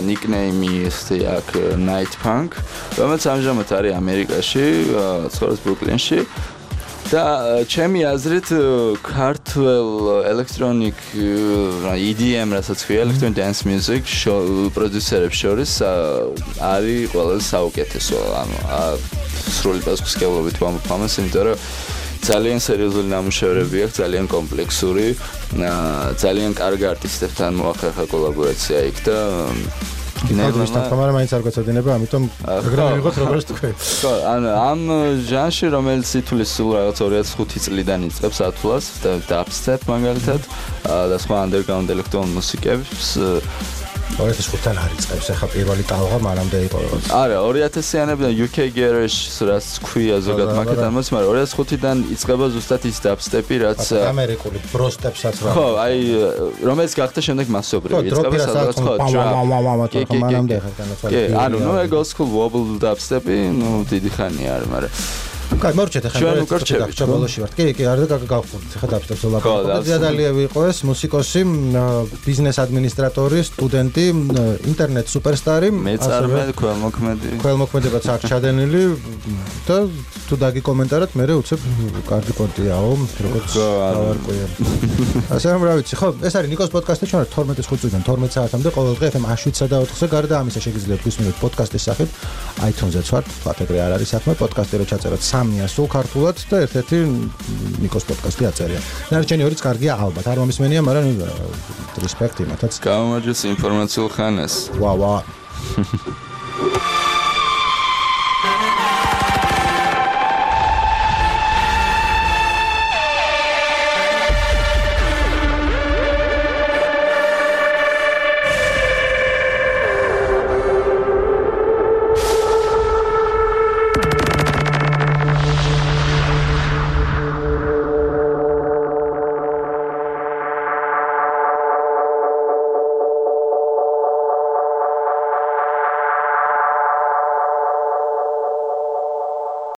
ნიკნეიმი ესეთი აქვს Night Punk რომელიც ამჟამად არის ამერიკაში ცხოვრობს ბრუკლინში და ჩემი აზრით ქართულ electronic EDM რასაც ქვია electronic dance music პროდიუსერებს შორის არის ყველაზე საუკეთესო ანუ სრული პასუხისმგებლობით ვამბობ ამას იმიტომ რომ ძალიან სერიოზული ნამუშევრები აქვს, ძალიან კომპლექსური, ძალიან კარგი არტისტებთან მოახერხა კოლაბორაცია იქ და
ნეირონებთან თამარა მაინც არ გაწოდინება, ამიტომ ეგრე მივიღოთ როგორც თქვი.
ხო, ამ ჟანრში რომელიც ითulis სულ რაღაც 2005 წლიდან იწყებს ათვლას და dubstep მაგალითად და სხვა underground electronic მუსიკებს
2005-დან არის წებს ახლა პირველი ტალღა მანამდე იყო რაღაც.
არა 2000-იანებიდან UK Garage რაც ქვია ზოგადად მაგათთან მოც, მაგრამ 2005-დან იწყება ზუსტად ის dubstep-ი რაც
ამერიკული ბროსტეპსაც რა.
ხო, აი რომელიც გახდა შემდეგ მასობრივი. იწყება სადღაც ხო
მანამდე ხარ განაცვალე.
კი, ანუ ნუ ეგ old school wobble dubstep-ი, ნუ დიდი ხანია არის, მაგრამ
კაი, მორჩეთ ახლა ბოლოში ვართ. კი, არ გავხურთ. ხა დავშტებ ლაპარაკობ. ზიადალიევი იყო ეს მუსიკოსი, ბიზნეს ადმინისტრატორი, სტუდენტი, ინტერნეტ სუპერსტარი,
მეწარმე,
ქველმოქმედებაც აქ ჩადენილი და თუ დაგიკომენტაროთ, მე უცებ კარგი პონტიაო, როგორც დავარკვია. ასე რომ რა ვიცი, ხო, ეს არის ნიკოს პოდკასტი, ჩვენ 12-5 წუთიდან 12 საათამდე ყოველდღე FM 7-სა და 4-ზე გარდა ამისა შეგიძლიათ გვისმინოთ პოდკასტის სახით, iTunes-ზე ვართ, ფათეგრე არ არის საქმე, პოდკასტი რო ჩაწეროთ 3-ია სულ ქართულად და ერთ-ერთი ნიკოს პოდკასტი აწერია. ნარჩენი ორიც კარგია ალბათ, არ მომისმენია, მაგრამ რესპექტი მათაც.
გამარჯვეს ინფორმაციულ ხანას.
ვა